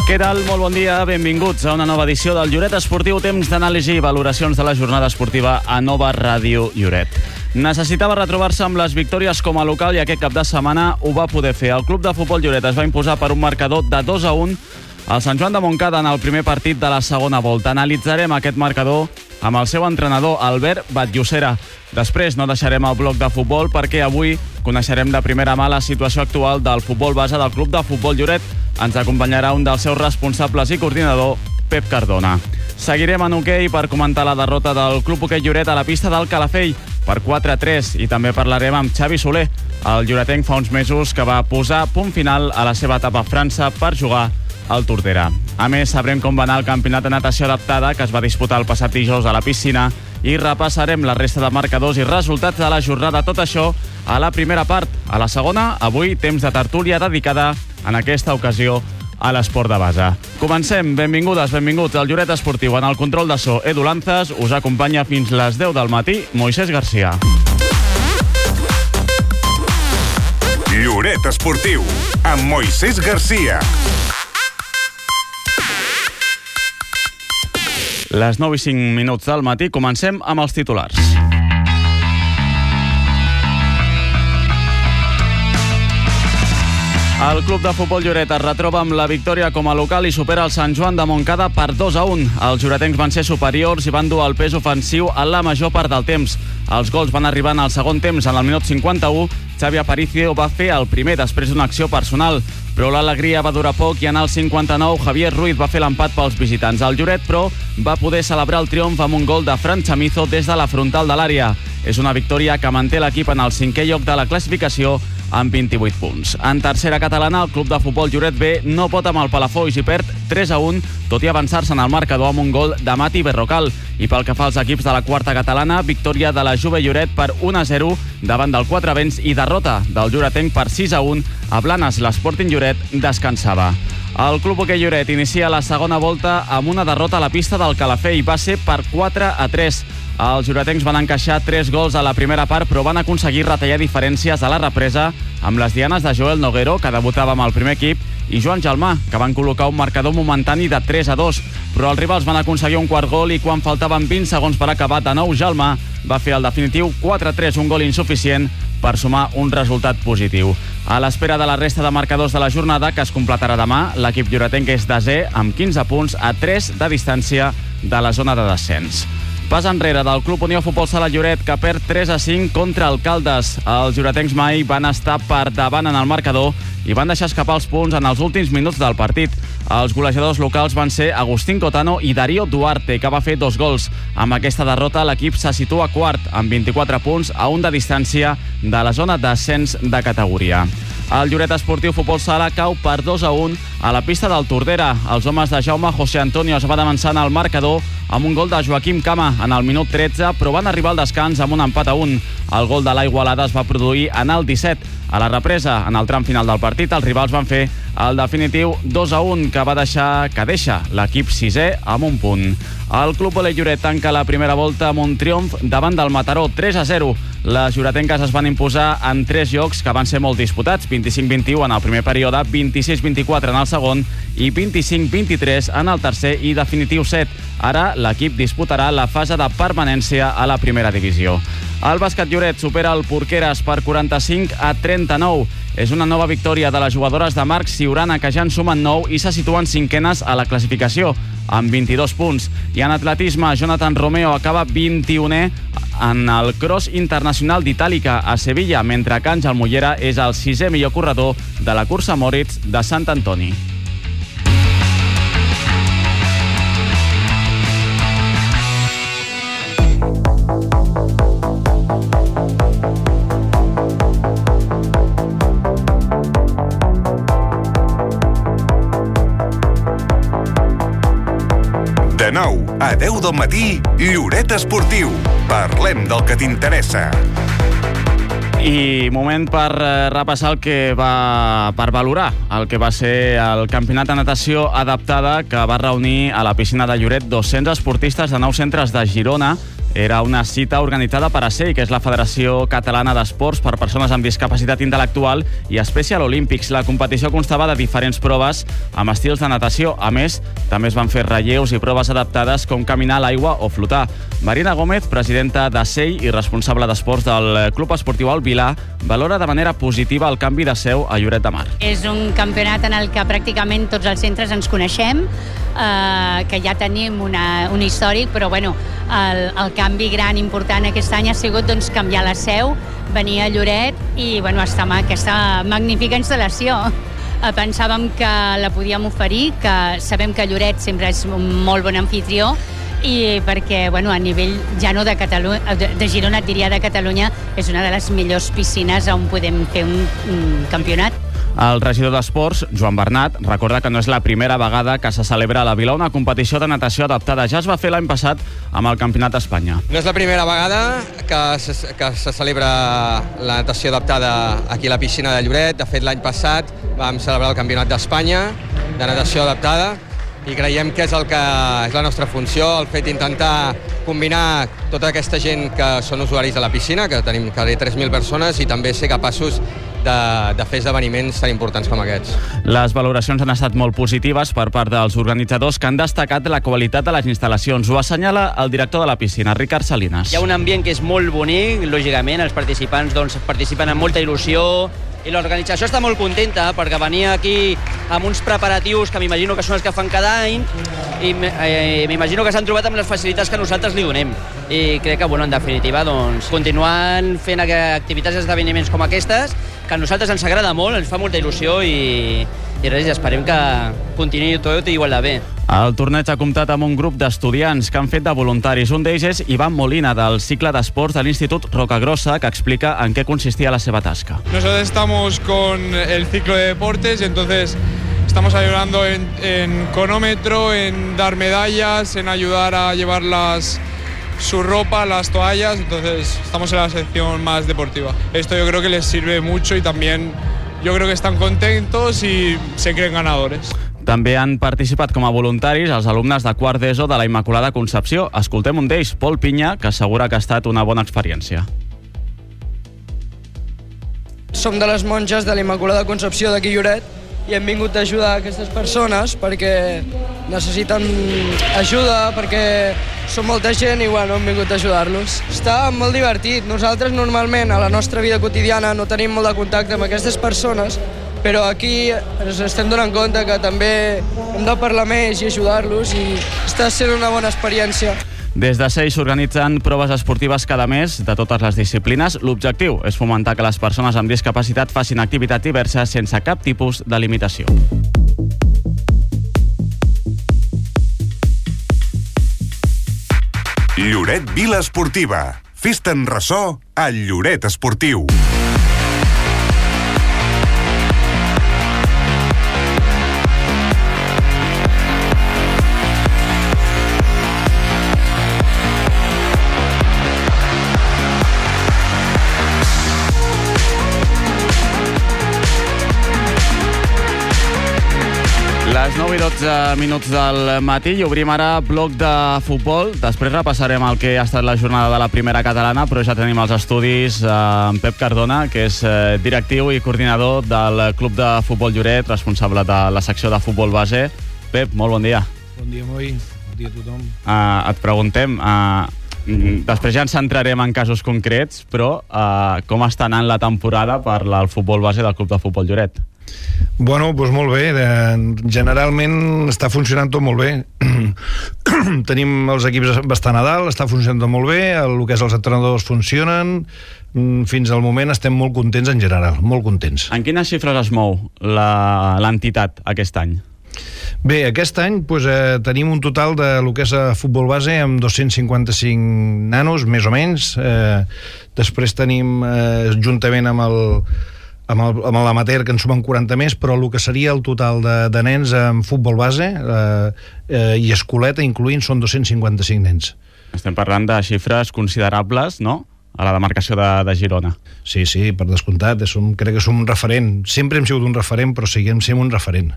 Què tal? Molt bon dia, benvinguts a una nova edició del Lloret Esportiu, temps d'anàlisi i valoracions de la jornada esportiva a Nova Ràdio Lloret. Necessitava retrobar-se amb les victòries com a local i aquest cap de setmana ho va poder fer. El club de futbol Lloret es va imposar per un marcador de 2-1 al Sant Joan de Montcada en el primer partit de la segona volta. Analitzarem aquest marcador amb el seu entrenador, Albert Batllocera. Després no deixarem el bloc de futbol perquè avui coneixerem de primera mà la situació actual del futbol base del club de futbol Lloret. Ens acompanyarà un dels seus responsables i coordinador, Pep Cardona. Seguirem en hoquei per comentar la derrota del Club Hoquei Lloret a la pista del Calafell per 4-3 i també parlarem amb Xavi Soler, el lloretenc fa uns mesos que va posar punt final a la seva etapa a França per jugar al Tordera. A més, sabrem com va anar el campionat de natació adaptada que es va disputar el passat dijous a la piscina i repassarem la resta de marcadors i resultats de la jornada. Tot això a la primera part. A la segona, avui, temps de tertúlia dedicada, en aquesta ocasió, a l'esport de base. Comencem. Benvingudes, benvinguts al Lloret Esportiu. En el control de so, Edu Lanzas. Us acompanya fins les 10 del matí, Moisés Garcia. Lloret Esportiu, amb Moisés Garcia. Les 9 i 5 minuts del matí, comencem amb els titulars. El club de futbol Lloret es retroba amb la victòria com a local i supera el Sant Joan de Montcada per 2-1. Els lloretencs van ser superiors i van dur el pes ofensiu a la major part del temps. Els gols van arribar en el segon temps. En el minut 51, Xavi Aparicio va fer el primer després d'una acció personal, però l'alegria va durar poc i en el 59 Javier Ruiz va fer l'empat pels visitants. El Lloret, però, va poder celebrar el triomf amb un gol de Fran Chamizo des de la frontal de l'àrea. És una victòria que manté l'equip en el 5è lloc de la classificació amb 28 punts. En tercera catalana, el club de futbol Lloret B no pot amb el Palafolls i perd 3-1, tot i avançar-se en el marcador amb un gol de Mati Berrocal. I pel que fa als equips de la quarta catalana, victòria de la Juve Lloret per 1-0 davant del Quatravents i derrota del lloretenc per 6-1 a Blanes. L'Sporting Lloret descansava. El Club Hoquei Lloret inicia la segona volta amb una derrota a la pista del Calafell. Va ser per 4-3. Els lloretencs van encaixar 3 gols a la primera part, però van aconseguir retallar diferències a la represa amb les dianes de Joel Noguero, que debutava amb el primer equip, i Joan Gelmà, que van col·locar un marcador momentani de 3-2. Però els rivals van aconseguir un quart gol i quan faltaven 20 segons per acabar, de nou Gelmà va fer el definitiu 4-3, un gol insuficient per sumar un resultat positiu. A l'espera de la resta de marcadors de la jornada, que es completarà demà, l'equip lloretenc és desè amb 15 punts a 3 de distància de la zona de descens. Pas enrere del Club Unió Futbol Sala Lloret, que perd 3-5 contra el Caldes. Els lloretencs mai van estar per davant en el marcador i van deixar escapar els punts en els últims minuts del partit. Els golejadors locals van ser Agustín Cotano i Darío Duarte, que va fer 2 gols. Amb aquesta derrota, l'equip se situa quart, amb 24 punts a 1 de distància de la zona d'ascens de categoria. El Lloret Esportiu Futbol Sala cau per 2-1 a la pista del Tordera. Els homes de Jaume José Antonio es van avançar en el marcador amb un gol de Joaquim Cama en el minut 13, però van arribar al descans amb un empat a 1. El gol de l'Igualada es va produir en el 17. A la represa, en el tram final del partit, els rivals van fer el definitiu 2-1, que deixa l'equip 6è amb un punt. El Club Hoquei Lloret tanca la primera volta amb un triomf davant del Mataró, 3-0. Les lloretenques es van imposar en 3 jocs que van ser molt disputats, 25-21 en el primer període, 26-24 en el segon i 25-23 en el tercer i definitiu set. Ara l'equip disputarà la fase de permanència a la primera divisió. El bàsquet Lloret supera el Porqueres per 45-39. És una nova victòria de les jugadores de Marc Siurana, que ja en sumen 9 i se situen 5enes a la classificació, amb 22 punts. I en atletisme, Jonathan Romeo acaba 21è en el Cross Internacional d'Itàlica a Sevilla, mentre que Àngel Mollera és el 6è millor corredor de la cursa Moritz de Sant Antoni. De 9 a 10 del matí, Lloret Esportiu. Parlem del que t'interessa. I moment per repassar per valorar el que va ser el campionat de natació adaptada, que va reunir a la piscina de Lloret 200 esportistes de 9 centres de Girona era una cita organitzada per ASEI, que és la Federació Catalana d'Esports per Persones amb Discapacitat Intel·lectual, i Special Olympics. La competició constava de diferents proves amb estils de natació. A més, també es van fer relleus i proves adaptades com caminar a l'aigua o flotar. Marina Gómez, presidenta d'ASEI i responsable d'esports del Club Esportiu El Vilar, valora de manera positiva el canvi de seu a Lloret de Mar. És un campionat en el que pràcticament tots els centres ens coneixem, que ja tenim un històric, però el canvi gran important aquest any ha sigut canviar la seu, venir a Lloret i estar amb aquesta magnífica instal·lació. Pensàvem que la podíem oferir, que sabem que Lloret sempre és un molt bon anfitrió, i perquè a nivell ja no de Girona, et diria de Catalunya, és una de les millors piscines on podem fer un campionat. El regidor d'Esports, Joan Bernat, recorda que no és la primera vegada que se celebra a la Vila una competició de natació adaptada. Ja es va fer l'any passat amb el Campionat d'Espanya. No és la primera vegada que se celebra la natació adaptada aquí a la piscina de Lloret. De fet, l'any passat vam celebrar el Campionat d'Espanya de natació adaptada i creiem que és la nostra funció, el fet d'intentar combinar tota aquesta gent que són usuaris de la piscina, que tenim quasi 3.000 persones, i també ser capaços de fer esdeveniments tan importants com aquests. Les valoracions han estat molt positives per part dels organitzadors, que han destacat la qualitat de les instal·lacions. Ho assenyala el director de la piscina, Ricard Salinas. Hi ha un ambient que és molt bonic, lògicament, els participants participen amb molta il·lusió, i l'organització està molt contenta perquè venia aquí amb uns preparatius que m'imagino que són els que fan cada any, i m'imagino que s'han trobat amb les facilitats que nosaltres li donem. I crec que, en definitiva, continuant fent activitats i esdeveniments com aquestes, que a nosaltres ens agrada molt, ens fa molta il·lusió, i res, esperem que continuï tot igual de bé. El torneig ha comptat amb un grup d'estudiants que han fet de voluntaris. Un d'ells és Ivan Molina, del cicle d'esports de l'Institut Rocagrossa, que explica en què consistia la seva tasca. Nosotros estamos con el ciclo de deportes y entonces estamos ayudando en cronómetro, en dar medallas, en ayudar a llevar su ropa, las toallas, entonces estamos en la sección más deportiva. Esto yo creo que les sirve mucho y también yo creo que están contentos y se creen ganadores. També han participat com a voluntaris els alumnes de quart d'ESO de la Immaculada Concepció. Escoltem un d'ells, Pol Pinya, que assegura que ha estat una bona experiència. Som de les monges de la Immaculada Concepció d'aquí Lloret i hem vingut a ajudar aquestes persones perquè necessiten ajuda, perquè som molta gent i hem vingut a ajudar-los. Està molt divertit. Nosaltres normalment a la nostra vida quotidiana no tenim molt de contacte amb aquestes persones, però aquí ens estem donant compte que també hem de parlar més i ajudar-los, i està sent una bona experiència. Des de SEI s'organitzen proves esportives cada mes de totes les disciplines. L'objectiu és fomentar que les persones amb discapacitat facin activitats diverses sense cap tipus de limitació. Lloret Vila Esportiva. Fes-te'n ressò a Lloret Esportiu. Les 9 i 12 minuts del matí i obrim ara bloc de futbol. Després repassarem el que ha estat la jornada de la primera catalana, però ja tenim els estudis amb Pep Cardona, que és directiu i coordinador del Club de Futbol Lloret, responsable de la secció de futbol base. Pep, molt bon dia. Bon dia, Moi. Bon dia a tothom. Et preguntem, després ja ens centrarem en casos concrets, però com està anant la temporada per al futbol base del Club de Futbol Lloret? Bueno, doncs molt bé. Generalment està funcionant tot molt bé. Tenim els equips bastant a dalt, està funcionant tot molt bé, el que és els entrenadors funcionen. Fins al moment estem molt contents en general, molt contents. En quines xifres es mou l'entitat aquest any? Bé, aquest any tenim un total de lo que és futbol base amb 255 nanos, més o menys. Després tenim, juntament amb l'amater, que en sumen 40 més, però el que seria el total de nens en futbol base i escoleta incloent són 255 nens. Estem parlant de xifres considerables, no?, a la demarcació de Girona. Sí, per descomptat, crec que som un referent. Sempre hem sigut un referent, però seguim sent un referent.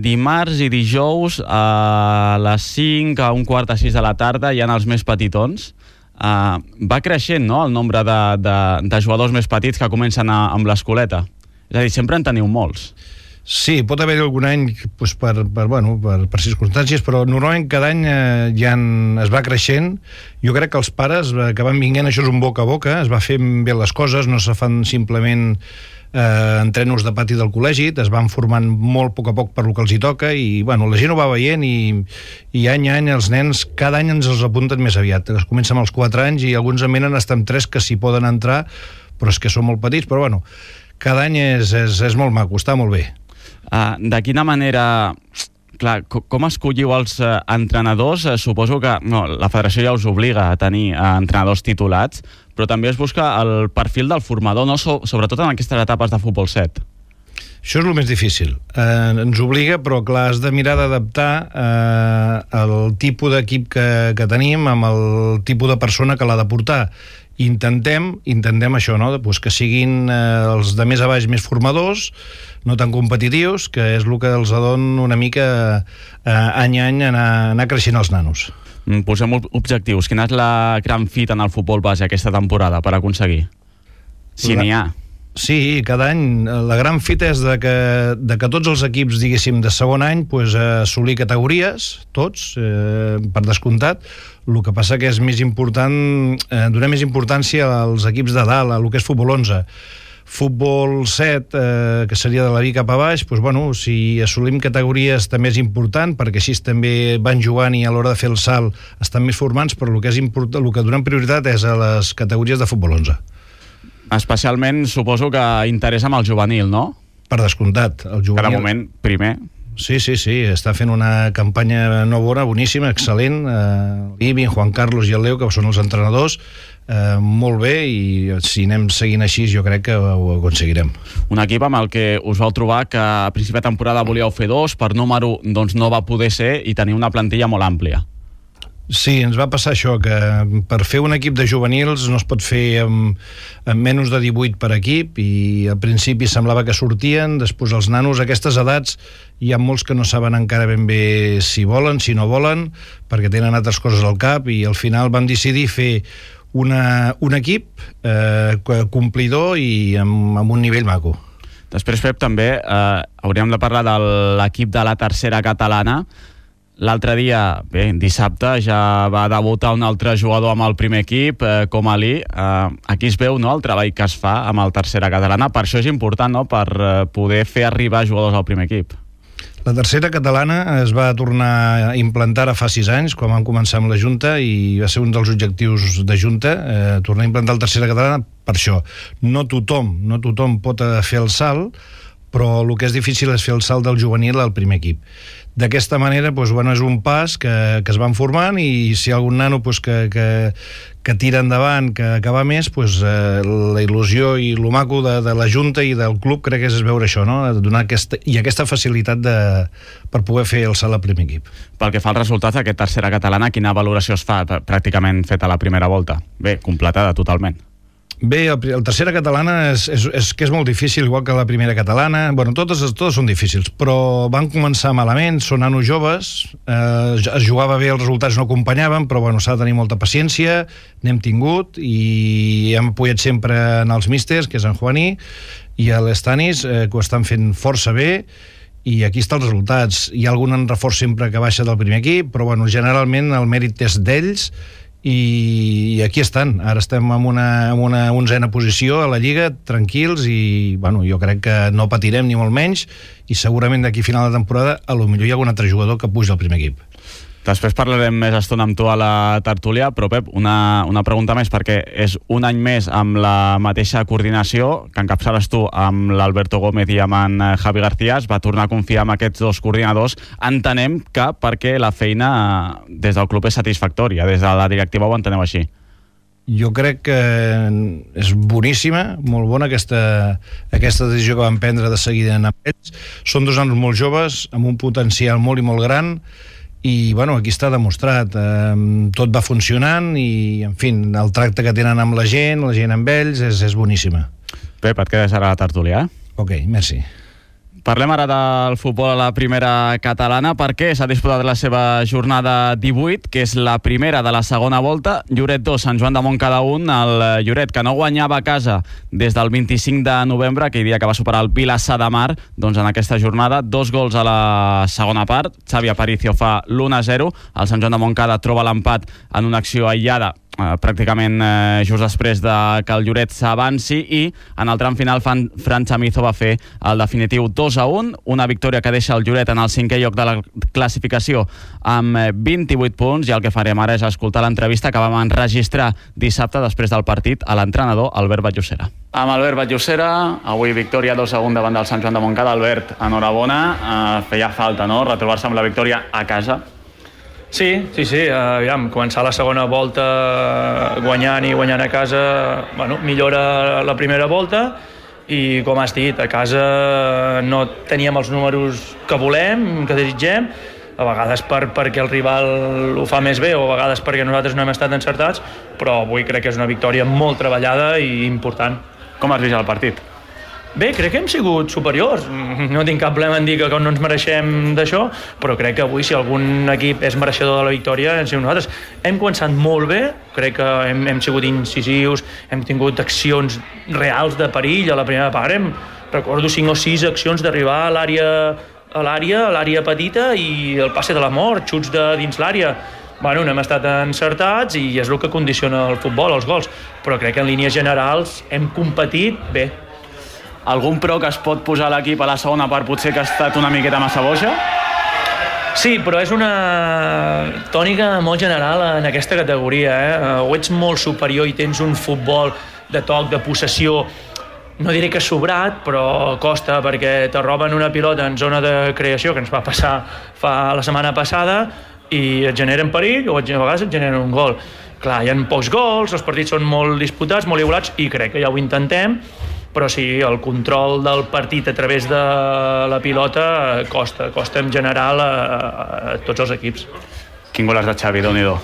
Dimarts i dijous a les 5, a 5:45 de la tarda hi ha els més petitons. Va creixent, no?, el nombre de jugadors més petits que comencen amb l'escoleta. És a dir, sempre en teniu molts. Sí, pot haver-hi algun any doncs, per circumstàncies, però normalment cada any es va creixent. Jo crec que els pares que van vinguent, això és un boca a boca, es va fent bé les coses, no se fan simplement entrenos de pati del col·legi, es van formant molt a poc per lo que els hi toca i la gent ho va veient i any a any els nens cada any ens els apunten més aviat. Es comença amb els 4 anys i alguns en venen fins amb 3 que s'hi poden entrar, però és que són molt petits, però cada any és molt maco, està molt bé. De quina manera... Clar, com escolliu els entrenadors? Suposo que la federació ja us obliga a tenir entrenadors titulats, però també es busca el perfil del formador, no? Sobretot en aquestes etapes de futbol 7. Això és el més difícil. Ens obliga, però clar, has de mirar d'adaptar el tipus d'equip que tenim amb el tipus de persona que l'ha de portar. Intentem això, no? Pues que siguin els de més a baix més formadors, no tan competitius, que és el que els dona una mica any a any anar creixent els nanos. Posem objectius. Quina és la gran fita en el futbol base aquesta temporada per aconseguir? Si n'hi ha. Sí, cada any la gran fita és de que tots els equips, diguéssim, de segon any assolir categories, tots, per descomptat. El que passa que és més important, donar més importància als equips de dalt, a el que és futbol 11. Futbol 7, que seria de la B cap a baix, si assolim categories també és important, perquè així també van jugant i a l'hora de fer el salt estan més formants, però el que donem prioritat és a les categories de futbol 11. Especialment, suposo que interessa amb el juvenil, no? Per descomptat. El juvenil... Cada moment, primer. Sí, està fent una campanya boníssima, excel·lent. L'Ibi, Juan Carlos i el Leo, que són els entrenadors, molt bé, i si anem seguint així jo crec que ho aconseguirem. Un equip amb el que us vau trobar que a principi de temporada volíeu fer 2, per número no va poder ser i tenir una plantilla molt àmplia. Sí, ens va passar això, que per fer un equip de juvenils no es pot fer amb menys de 18 per equip, i al principi semblava que sortien, després els nanos a aquestes edats hi ha molts que no saben encara ben bé si volen, si no volen, perquè tenen altres coses al cap, i al final vam decidir fer un equip complidor i amb un nivell maco. Després, Pep, també hauríem de parlar de l'equip de la tercera catalana. L'altre dia, dissabte, ja va debutar un altre jugador amb el primer equip, com Ali. Aquí es veu, no?, el treball que es fa amb el tercera catalana. Per això és important, no?, per poder fer arribar jugadors al primer equip. La tercera catalana es va tornar a implantar fa 6 anys, quan vam començar amb la Junta, i va ser un dels objectius de Junta, tornar a implantar la tercera catalana per això. No tothom pot fer el salt, però el que és difícil és fer el salt del juvenil al primer equip. D'aquesta manera, és un pas que es van formant, i si hi ha algun nano que tira endavant, que va més, la il·lusió i el maco de la Junta i del club crec que és veure això, no? Donar aquesta facilitat per poder fer el salt al primer equip. Pel que fa als resultats d'aquest tercera catalana, quina valoració es fa pràcticament feta a la primera volta? Bé, completada totalment. Bé, el tercera catalana és que és molt difícil, igual que la primera catalana. Totes són difícils, però van començar malament, són nanos joves, es jugava bé, els resultats no acompanyaven, però s'ha de tenir molta paciència, n'hem tingut, i hem apoyat sempre en els místers, que és en Juaní i l'Estanis, que ho estan fent força bé, i aquí estan els resultats. Hi ha algun reforç sempre que baixa del primer equip, però generalment el mèrit és d'ells, i aquí estan. Ara estem en una 11a posició a la Lliga, tranquils, i jo crec que no patirem ni molt menys, i segurament d'aquí a final de temporada potser hi ha algun altre jugador que puja al primer equip. Després parlarem més estona amb tu a la tertúlia, però Pep, una pregunta més, perquè és un any més amb la mateixa coordinació que encapçales tu amb l'Alberto Gómez i amb en Javi García. Es va tornar a confiar en aquests dos coordinadors. Entenem que perquè la feina des del club és satisfactòria, des de la directiva ho enteneu així. Jo crec que és boníssima, molt bona aquesta decisió que van prendre de seguida amb ells. Són 2 nanos molt joves, amb un potencial molt i molt gran, i aquí està demostrat, tot va funcionant, i en fi, el tracte que tenen amb la gent amb ells és boníssima. Pep, et quedes ara a la tertúlia, Ok, merci. Parlem ara del futbol a la primera catalana perquè s'ha disputat la seva jornada 18, que és la primera de la segona volta. Lloret 2, Sant Joan de Montcada 1. El Lloret, que no guanyava a casa des del 25 de novembre, aquell dia que va superar el Vilassar de Mar, doncs en aquesta jornada 2 gols a la segona part. Xavi Aparicio fa l'1-0. El Sant Joan de Montcada troba l'empat en una acció aïllada pràcticament just després de que el Lloret s'avanci, i en el tram final Fran Chamizo va fer el definitiu 2-1, una victòria que deixa el Lloret en el 5è lloc de la classificació amb 28 punts, i el que farem ara és escoltar l'entrevista que vam enregistrar dissabte després del partit a l'entrenador Albert Batllocera. Amb Albert Batllocera, avui victòria 2-1 davant del Sant Joan de Montcada. Albert, enhorabona, feia falta, no?, retrobar-se amb la victòria a casa. Sí, aviam, començar la segona volta guanyant a casa, bueno, millora la primera volta, i com has dit, a casa no teníem els números que volem, que desitgem, a vegades perquè el rival ho fa més bé o a vegades perquè nosaltres no hem estat encertats, però avui crec que és una victòria molt treballada i important. Com has vist el partit? Bé, crec que hem sigut superiors. No tinc cap problema en dir que no ens mereixem d'això, però crec que avui, si algun equip és mereixedor de la victòria, hem sigut nosaltres. Hem començat molt bé, crec que hem sigut incisius, hem tingut accions reals de perill a la primera part. Recordo 5 o 6 accions d'arribar a l'àrea petita i el passe de la mort, xuts de dins l'àrea. Bueno, no hem estat encertats i és el que condiciona el futbol, els gols, però crec que en línies generals hem competit bé. Algun pro que es pot posar a l'equip a la segona part potser que ha estat una miqueta massa boja? Sí, però és una tònica molt general en aquesta categoria. O ets molt superior i tens un futbol de toc, de possessió, no diré que sobrat, però costa, perquè te roben una pilota en zona de creació, que ens va passar la setmana passada, i et generen perill o a vegades et generen un gol. Clar, hi ha pocs gols, els partits són molt disputats, molt igualats, i crec que ja ho intentem, però sí, el control del partit a través de la pilota costa en general a tots els equips. Quin gol has de Xavi, Déu-n'hi-do.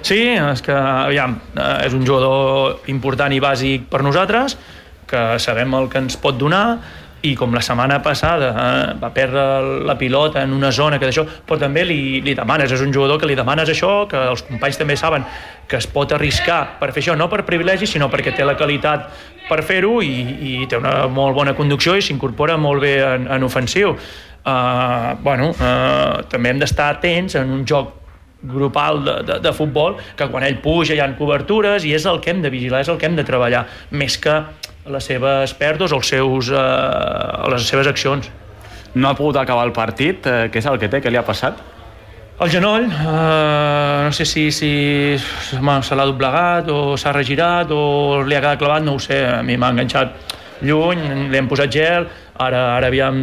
Sí, és que, aviam, és un jugador important i bàsic per nosaltres, que sabem el que ens pot donar, i com la setmana passada va perdre la pilota en una zona que d'això, però també li demanes, és un jugador que li demanes això, que els companys també saben que es pot arriscar per fer això, no per privilegi, sinó perquè té la qualitat per fer-ho i té una molt bona conducció i s'incorpora molt bé en ofensiu. També hem d'estar atents en un joc grupal de futbol, que quan ell puja hi ha cobertures i és el que hem de vigilar, és el que hem de treballar, més que les seves pèrdues o les seves accions. No ha pogut acabar el partit, què és el que té, què li ha passat? El genoll, no sé si se l'ha doblegat o s'ha regirat o li ha quedat clavat, no ho sé, a mi m'ha enganxat lluny, li hem posat gel, ara aviam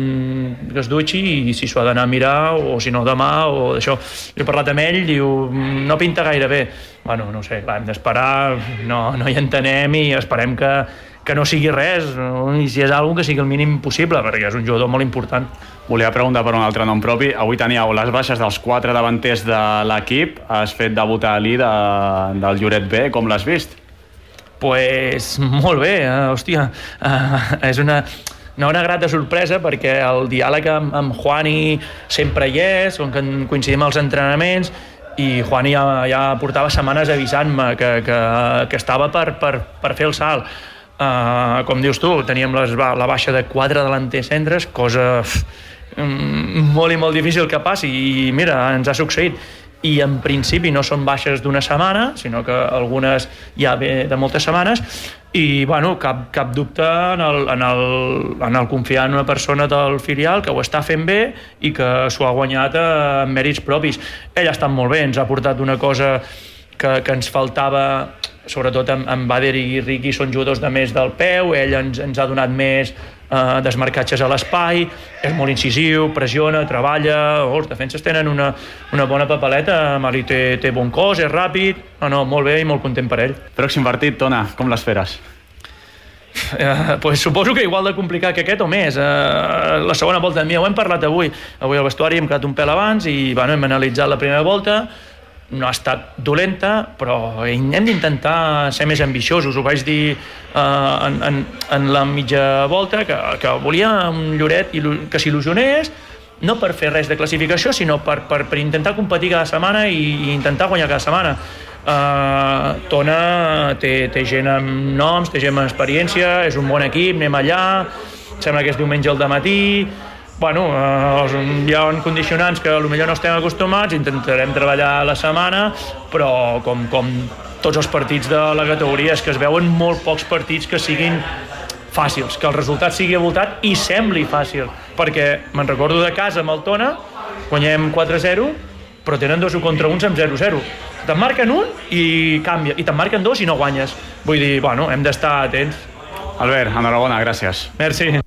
que es dutxi i si s'ho ha d'anar a mirar o si no demà o d'això. He parlat amb ell, diu, no pinta gaire bé. Bueno, no ho sé, clar, hem d'esperar, no hi entenem i esperem que no sigui res, i si és alguna que sigui el mínim possible, perquè és un jugador molt important. Volia preguntar per un altre nom propi. Avui teníeu les baixes dels 4 davanters de l'equip. Has fet debutar Ali del Lloret B. Com l'has vist? Pues molt bé, hòstia. És una grata sorpresa, perquè el diàleg amb Juani sempre hi és, com que coincidim als entrenaments, i Juani ja portava setmanes avisant-me que estava per fer el salt. Com dius tu, teníem la baixa de 4 delanters centres, cosa molt i molt difícil que passi, i mira, ens ha succeït. I en principi no són baixes d'una setmana, sinó que algunes ja ve de moltes setmanes, i bueno, cap dubte en el confiar en una persona del filial que ho està fent bé i que s'ho ha guanyat amb mèrits propis. Ell ha estat molt bé, ens ha portat una cosa que ens faltava, sobretot amb Bader i Riqui, són jugadors de més del peu, ell ens ha donat més desmarcatges a l'espai, és molt incisiu, pressiona, treballa, els defenses tenen una bona papeleta, Mali té bon cos, és ràpid, molt bé i molt content per ell. Pròxim partit, Tona, com l'esperes? Pues suposo que igual de complicat que aquest o més. La segona volta ho hem parlat avui al vestuari, hem quedat un pèl abans i hem analitzat la primera volta no ha estat dolenta, però hem d'intentar ser més ambiciosos. Ho vaig dir en la mitja volta, que volia un Lloret que s'il·lusionés, no per fer res de classificació, sinó per intentar competir cada setmana i intentar guanyar cada setmana. Tona té gent amb noms, té gent amb experiència, és un bon equip, anem allà, sembla que és diumenge al dematí. Bueno, hi ha condicionants que potser no estem acostumats, intentarem treballar la setmana, però com tots els partits de la categoria és que es veuen molt pocs partits que siguin fàcils, que el resultat sigui avoltat i sembli fàcil, perquè me'n recordo de casa amb el Tona, guanyem 4-0, però tenen 2 contra 1 amb 0-0. Te'n marquen un i canvia, i te'n marquen 2 i no guanyes. Vull dir, bueno, hem d'estar atents. Albert, enhorabona, gràcies. Merci.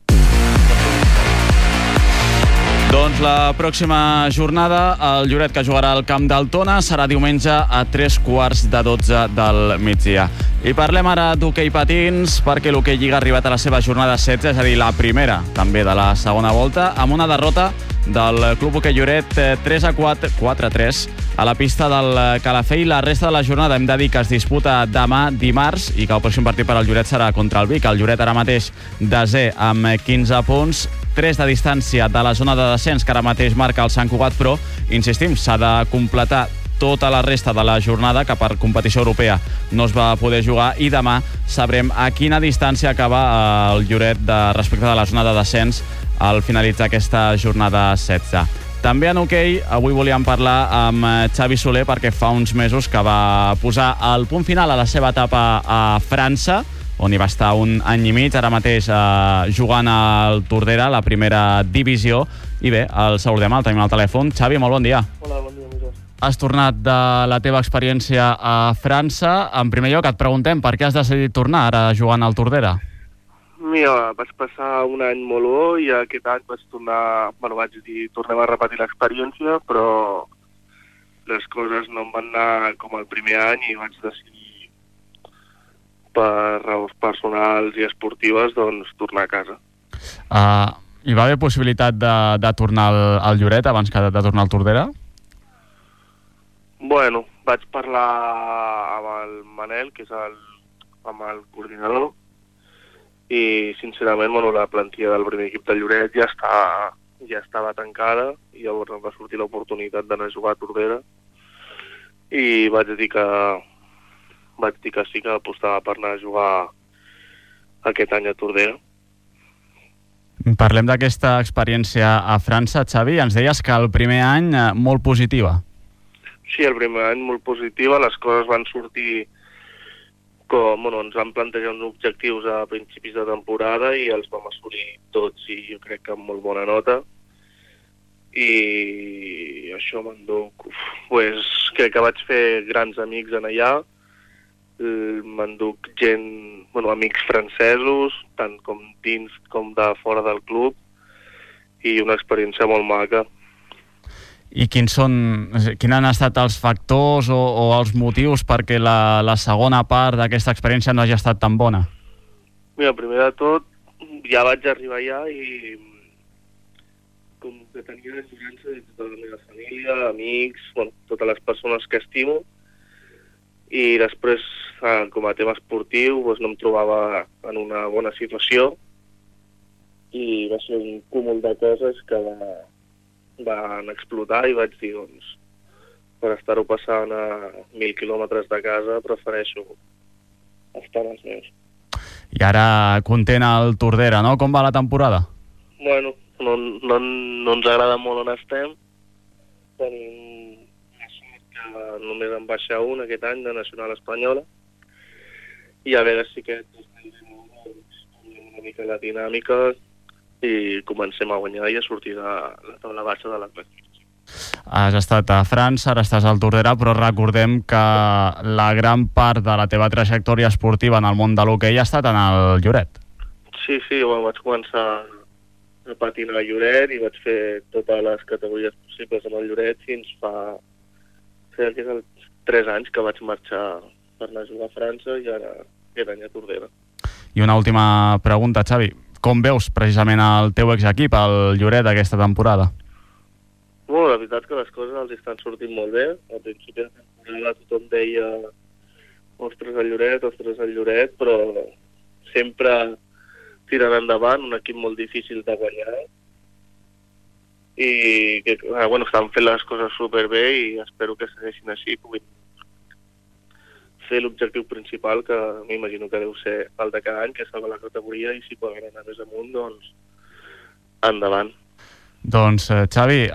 Doncs la pròxima jornada, el Lloret, que jugarà al camp del Tona, serà diumenge a 3:45 del migdia. I parlem ara d'hoquei patins, perquè l'hoquei Lliga ha arribat a la seva jornada 16, és a dir, la primera també de la segona volta, amb una derrota del Club Hoquei Lloret 4-3 a la pista del Calafell. La resta de la jornada hem de dir que es disputa demà dimarts i que el pròxim partit per al Lloret serà contra el Vic. El Lloret ara mateix desè amb 15 punts, 3 de distància de la zona de descens, que ara mateix marca el Sant Cugat, però, insistim, s'ha de completar tota la resta de la jornada, que per competició europea no es va poder jugar, i demà sabrem a quina distància acaba el Lloret respecte de la zona de descens al finalitzar aquesta jornada 16. També en hoquei, avui volíem parlar amb Xavi Soler, perquè fa uns mesos que va posar el punt final a la seva etapa a França, on hi va estar un any i mig, ara mateix jugant al Tordera, la primera divisió. I bé, el saludem, el tenim al telèfon. Xavi, molt bon dia. Hola, bon dia, Miquel. Has tornat de la teva experiència a França. En primer lloc, et preguntem per què has decidit tornar ara jugant al Tordera? Mira, vaig passar un any molt bo i aquest any vaig tornar... Bueno, vaig dir, tornem a repetir l'experiència, però les coses no em van anar com el primer any i vaig decidir, per raons personals i esportives, doncs tornar a casa. Hi va haver possibilitat de tornar al Lloret abans que de tornar al Tordera? Bueno, vaig parlar amb el Manel, que és amb el coordinador, i sincerament, bueno, la plantilla del primer equip del Lloret ja estava tancada, i llavors em va sortir l'oportunitat d'anar a jugar a Tordera, i vaig dir que sí, que apostava per anar a jugar aquest any a Tordera. Parlem d'aquesta experiència a França, Xavi. Ens deies que el primer any molt positiva. Sí, el primer any molt positiva. Les coses van sortir com... Bueno, ens van plantejar uns objectius a principis de temporada i els vam assolir tots, i jo crec que amb molt bona nota. I això m'enduc... Pues, crec que vaig fer grans amics en allà. M'enduc gent, bueno, amics francesos, tant com dins com de fora del club, i una experiència molt maca. I quins han estat els factors o els motius perquè la segona part d'aquesta experiència no hagi estat tan bona? Mira, primer de tot, ja vaig arribar allà i com que tenia l'enyorança de tota la meva família, amics, bueno, totes les persones que estimo, i després, com a tema esportiu, doncs no em trobava en una bona situació i va ser un cúmul de coses que van explotar i vaig dir, doncs, per estar-ho passant a 1.000 quilòmetres de casa, prefereixo estar als meus. I ara content al Tordera, no? Com va la temporada? Bueno, no ens agrada molt on estem. Tenim només en baixa un aquest any de Nacional Espanyola, i a veure si aquest canviem una mica la dinàmica i comencem a guanyar i a sortir de la taula baixa de la classificació. Has estat a França, ara estàs al Tordera, però recordem que la gran part de la teva trajectòria esportiva en el món de l'hoquei ha estat en el Lloret. Sí, bueno, vaig començar a patinar a Lloret i vaig fer totes les categories possibles amb el Lloret fins fa 3 anys que vaig marxar per anar a jugar a França i ara aquest any a Tordera. I una última pregunta, Xavi. Com veus precisament el teu exequip, el Lloret, aquesta temporada? Bueno, la veritat que les coses els estan sortint molt bé. Al principi de temporada temporada tothom deia ostres el Lloret, però sempre tirant endavant, un equip molt difícil de guanyar i que estan fent les coses superbé i espero que segueixin així, puguin fer l'objectiu principal, que m'imagino que deu ser el de cada any, que és salvar la categoria, i si poden anar més amunt, doncs endavant. Doncs Xavi,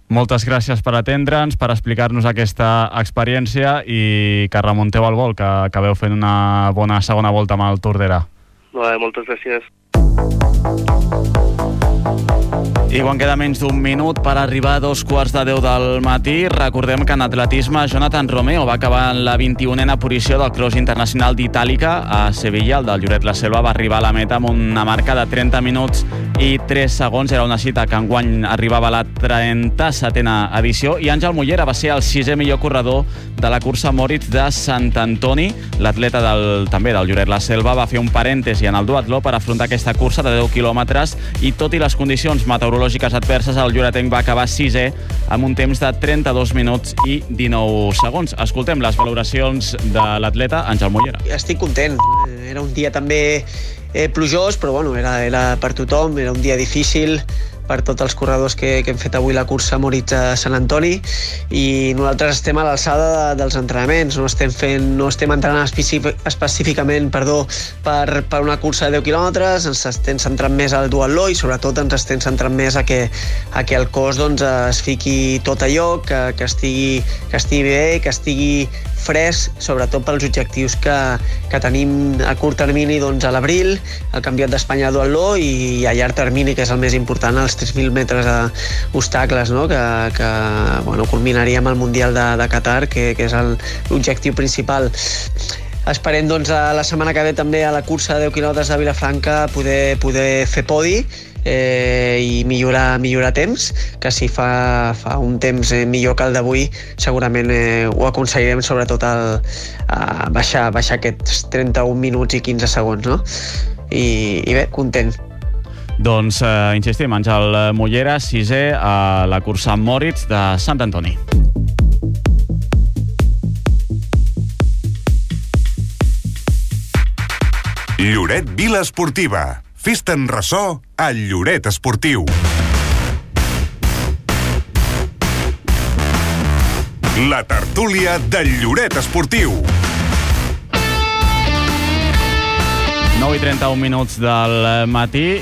moltes gràcies per atendre'ns, per explicar-nos aquesta experiència i que remunteu al vol, que acabeu fent una bona segona volta amb el Tordera. Moltes gràcies. I quan queda menys d'un minut per arribar a 2:15 del matí, recordem que en atletisme Jonathan Romeo va acabar en la 21a posició del Cross Internacional d'Itàlica a Sevilla. El del Lloret La Selva va arribar a la meta amb una marca de 30 minuts i 3 segons. Era una cita que enguany arribava a la 37a edició, i Àngel Mollera va ser el 6è millor corredor de la cursa Moritz de Sant Antoni. L'atleta també del Lloret La Selva va fer un parèntesi en el duatló per afrontar aquesta cursa de 10 quilòmetres, i tot i les condicions meteorològiques adverses, el lloretenc va acabar 6è amb un temps de 32 minuts i 19 segons. Escoltem les valoracions de l'atleta Àngel Mollera. Estic content. Era un dia també plujós, però bueno, era per tothom, era un dia difícil per tots els corredors que hem fet avui la cursa Moritz a Sant Antoni, i nosaltres estem a l'alçada dels entrenaments, no estem entrenant específicament per una cursa de 10 quilòmetres, ens estem centrant més al duatló i sobretot ens estem centrant més a que el cos es fiqui tot a lloc, que estigui bé, que estigui fresc, sobretot pels objectius que tenim a curt termini, doncs a l'abril, el Campionat d'Espanya de duatló, i a llarg termini, que és el més important, els 3.000 metres d'obstacles, no? que culminaríem al Mundial de Qatar, que és l'objectiu principal. Esperem doncs a la setmana que ve també a la cursa de 10 quilòmetres de Vilafranca poder fer podi i millorar temps, que si fa un temps millor que el d'avui segurament ho aconseguirem, sobretot a baixar aquests 31 minuts i 15 segons, no? I bé, content. Doncs insistim, Àngel Mollera, 6è a la cursa Moritz de Sant Antoni. Lloret Vila Esportiva. Fes-te'n ressò al Lloret Esportiu. La tertúlia del Lloret Esportiu. 9:31 minuts del matí,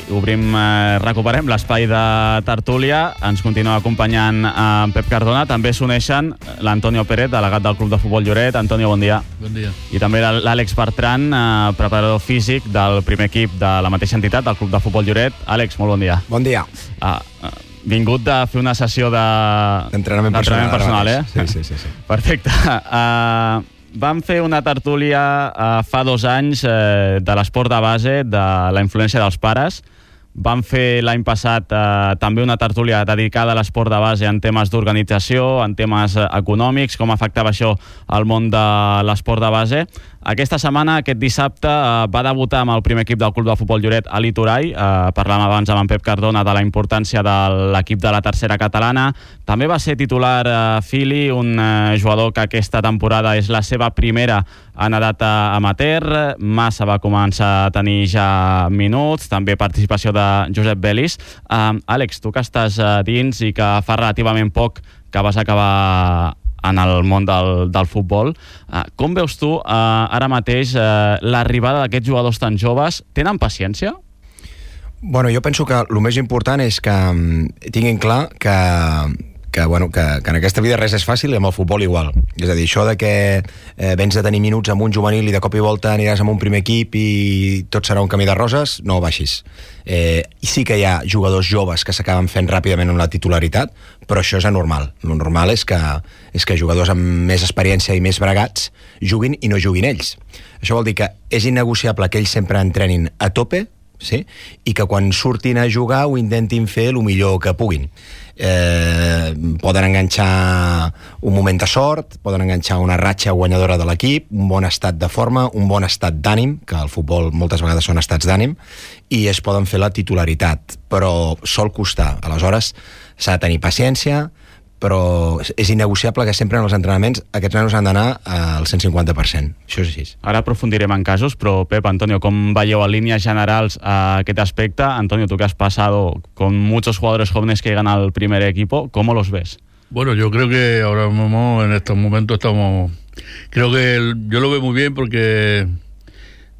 recuperem l'espai de tertúlia. Ens continua acompanyant en Pep Cardona. També s'uneixen l'Antonio Pérez, delegat del Club de Futbol Lloret. Antonio, bon dia. Bon dia. I també l'Àlex Bertran, preparador físic del primer equip de la mateixa entitat, del Club de Futbol Lloret. Àlex, molt bon dia. Bon dia. Vingut de fer una sessió d'entrenament personal, Sí. Perfecte. Vam fer una tertúlia fa 2 anys de l'esport de base, de la influència dels pares. Vam fer l'any passat també una tertúlia dedicada a l'esport de base en temes d'organització, en temes econòmics, com afectava això al món de l'esport de base. Aquesta setmana, aquest dissabte, va debutar amb el primer equip del Club de Futbol Lloret a Litorai. Parlàvem abans amb en Pep Cardona de la importància de l'equip de la tercera catalana. També va ser titular Fili, un jugador que aquesta temporada és la seva primera en edat amateur. Massa va començar a tenir ja minuts, també participació de Josep Belis. Àlex, tu que estàs dins i que fa relativament poc que vas acabar en el món del futbol, com veus tu ara mateix l'arribada d'aquests jugadors tan joves? Tenen paciència? Bueno, jo penso que el més important és que tinguin clar que en aquesta vida res és fàcil i amb el futbol igual. És a dir, això de que vens de tenir minuts amb un juvenil i de cop i volta aniràs amb un primer equip i tot serà un camí de roses, no baixis. I sí que hi ha jugadors joves que s'acaben fent ràpidament una titularitat, però això és anormal. El normal és que jugadors amb més experiència i més bregats juguin i no juguin ells. Això vol dir que és innegociable que ells sempre entrenin a tope, sí? I que quan surtin a jugar ho intentin fer el millor que puguin. Poden enganxar un moment de sort, poden enganxar una ratxa guanyadora de l'equip, un bon estat de forma, un bon estat d'ànim, que al futbol moltes vegades són estats d'ànim, i es poden fer la titularitat, però sol costar. Aleshores s'ha de tenir paciència, però és innegociable que sempre en els entrenaments aquests nanos han d'anar al 150%. Això és així. Ara aprofundirem en casos, però Pep, Antonio, ¿cómo veieu a líneas generals a aquest aspecte? Antonio, tú que has pasado con muchos jugadores jóvenes que llegan al primer equipo, ¿cómo los ves? Bueno, yo creo que ahora mismo, en estos momentos creo que yo lo veo muy bien porque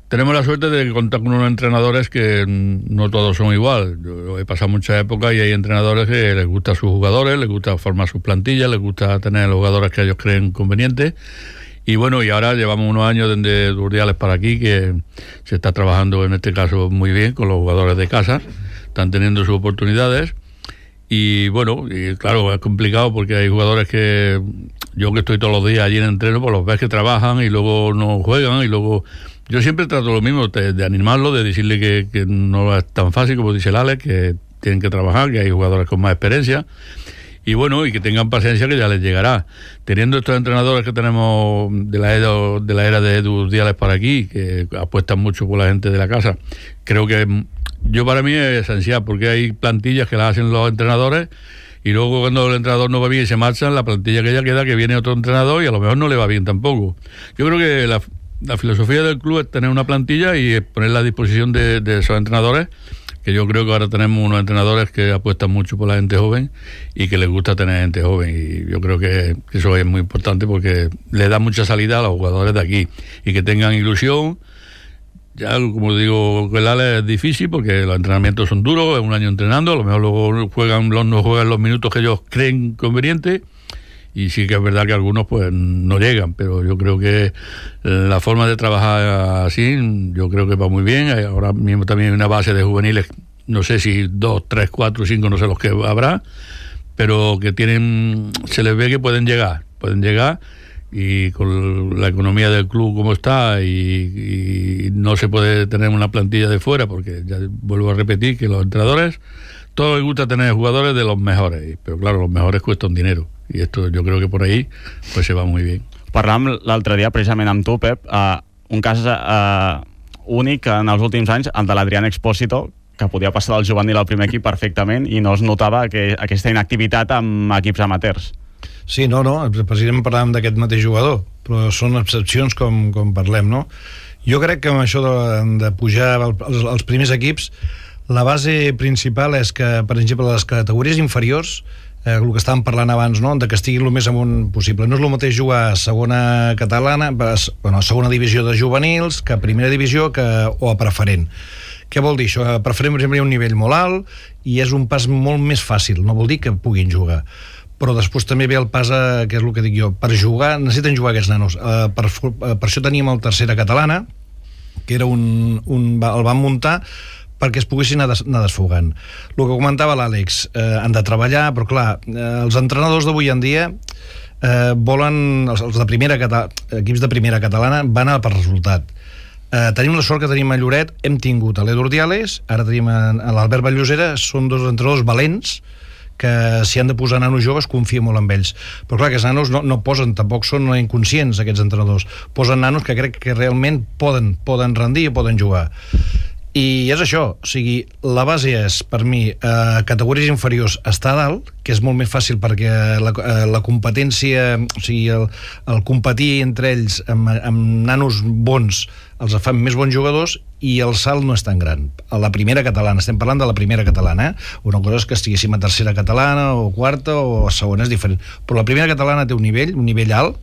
tenemos la suerte de contar con unos entrenadores que no todos son igual. Yo he pasado mucha época y hay entrenadores que les gusta a sus jugadores, les gusta formar sus plantillas, les gusta tener los jugadores que ellos creen convenientes. Y bueno, y ahora llevamos unos años desde Urdiales para aquí que se está trabajando en este caso muy bien con los jugadores de casa, están teniendo sus oportunidades. Y bueno, y claro, es complicado porque hay jugadores que yo que estoy todos los días allí en entreno, pues los ves que trabajan y luego no juegan y luego yo siempre trato lo mismo, de animarlo, de decirle que no es tan fácil como dice el Alex, que tienen que trabajar, que hay jugadores con más experiencia y bueno, y que tengan paciencia que ya les llegará. Teniendo estos entrenadores que tenemos de la era de Edu Díaz para aquí, que apuestan mucho por la gente de la casa, creo que para mí es esencial, porque hay plantillas que las hacen los entrenadores y luego cuando el entrenador no va bien y se marchan, la plantilla que ya queda, que viene otro entrenador y a lo mejor no le va bien tampoco. Yo creo que la filosofía del club es tener una plantilla y ponerla a disposición de esos entrenadores, que yo creo que ahora tenemos unos entrenadores que apuestan mucho por la gente joven y que les gusta tener gente joven, y yo creo que eso es muy importante porque le da mucha salida a los jugadores de aquí y que tengan ilusión. Ya, como digo, el Ale es difícil porque los entrenamientos son duros, es un año entrenando, a lo mejor luego no juegan los minutos que ellos creen convenientes, y sí que es verdad que algunos pues no llegan, pero yo creo que la forma de trabajar así, yo creo que va muy bien. Ahora mismo también hay una base de juveniles, no sé si 2, 3, 4, 5, no sé los que habrá, pero que se les ve que pueden llegar, y con la economía del club como está y no se puede tener una plantilla de fuera, porque ya vuelvo a repetir que los entrenadores, todos les gusta tener jugadores de los mejores, pero claro, los mejores cuestan dinero, y esto yo creo que por ahí pues se va muy bien. Parlàvem l'altre dia precisament amb tu, Pep, un cas únic en els últims anys, el de l'Adrián Expósito, que podia passar del juvenil al primer equip perfectament i no es notava aquesta inactivitat amb equips amateurs. Sí, no, precisament parlàvem d'aquest mateix jugador, però són excepcions com parlem, no? Jo crec que amb això de pujar als primers equips, la base principal és que, per exemple, les categories inferiors, el que estàvem parlant abans, no?, de que estiguin el més amunt possible. No és el mateix jugar a segona catalana, a segona divisió de juvenils, que a primera divisió o a preferent. Què vol dir això? A preferent, per exemple, hi ha un nivell molt alt i és un pas molt més fàcil, no vol dir que puguin jugar. Però després també ve el pas, que és el que dic jo, per jugar, necessiten jugar aquests nanos. Per això teníem el tercera catalana, que era el van muntar perquè es poguessin anar desfogant. El que comentava l'Àlex, han de treballar, però clar, els entrenadors d'avui en dia volen, els de equips de primera catalana van anar per resultat. Tenim la sort que tenim a Lloret, hem tingut a l'Edu Ordiales, ara tenim a l'Albert Vallosera, són dos entrenadors valents que si han de posar nanos joves confia molt en ells, però clar, aquests nanos no posen, tampoc són inconscients aquests entrenadors, posen nanos que crec que realment poden rendir i poden jugar. I és això, o sigui, la base és, per mi, categories inferiors està a dalt, que és molt més fàcil perquè la competència, o sigui, el competir entre ells amb nanos bons els fan més bons jugadors, i el salt no és tan gran. A la primera catalana, estem parlant de la primera catalana, una cosa és que estiguéssim a tercera catalana o quarta o a segona, és diferent, però la primera catalana té un nivell alt,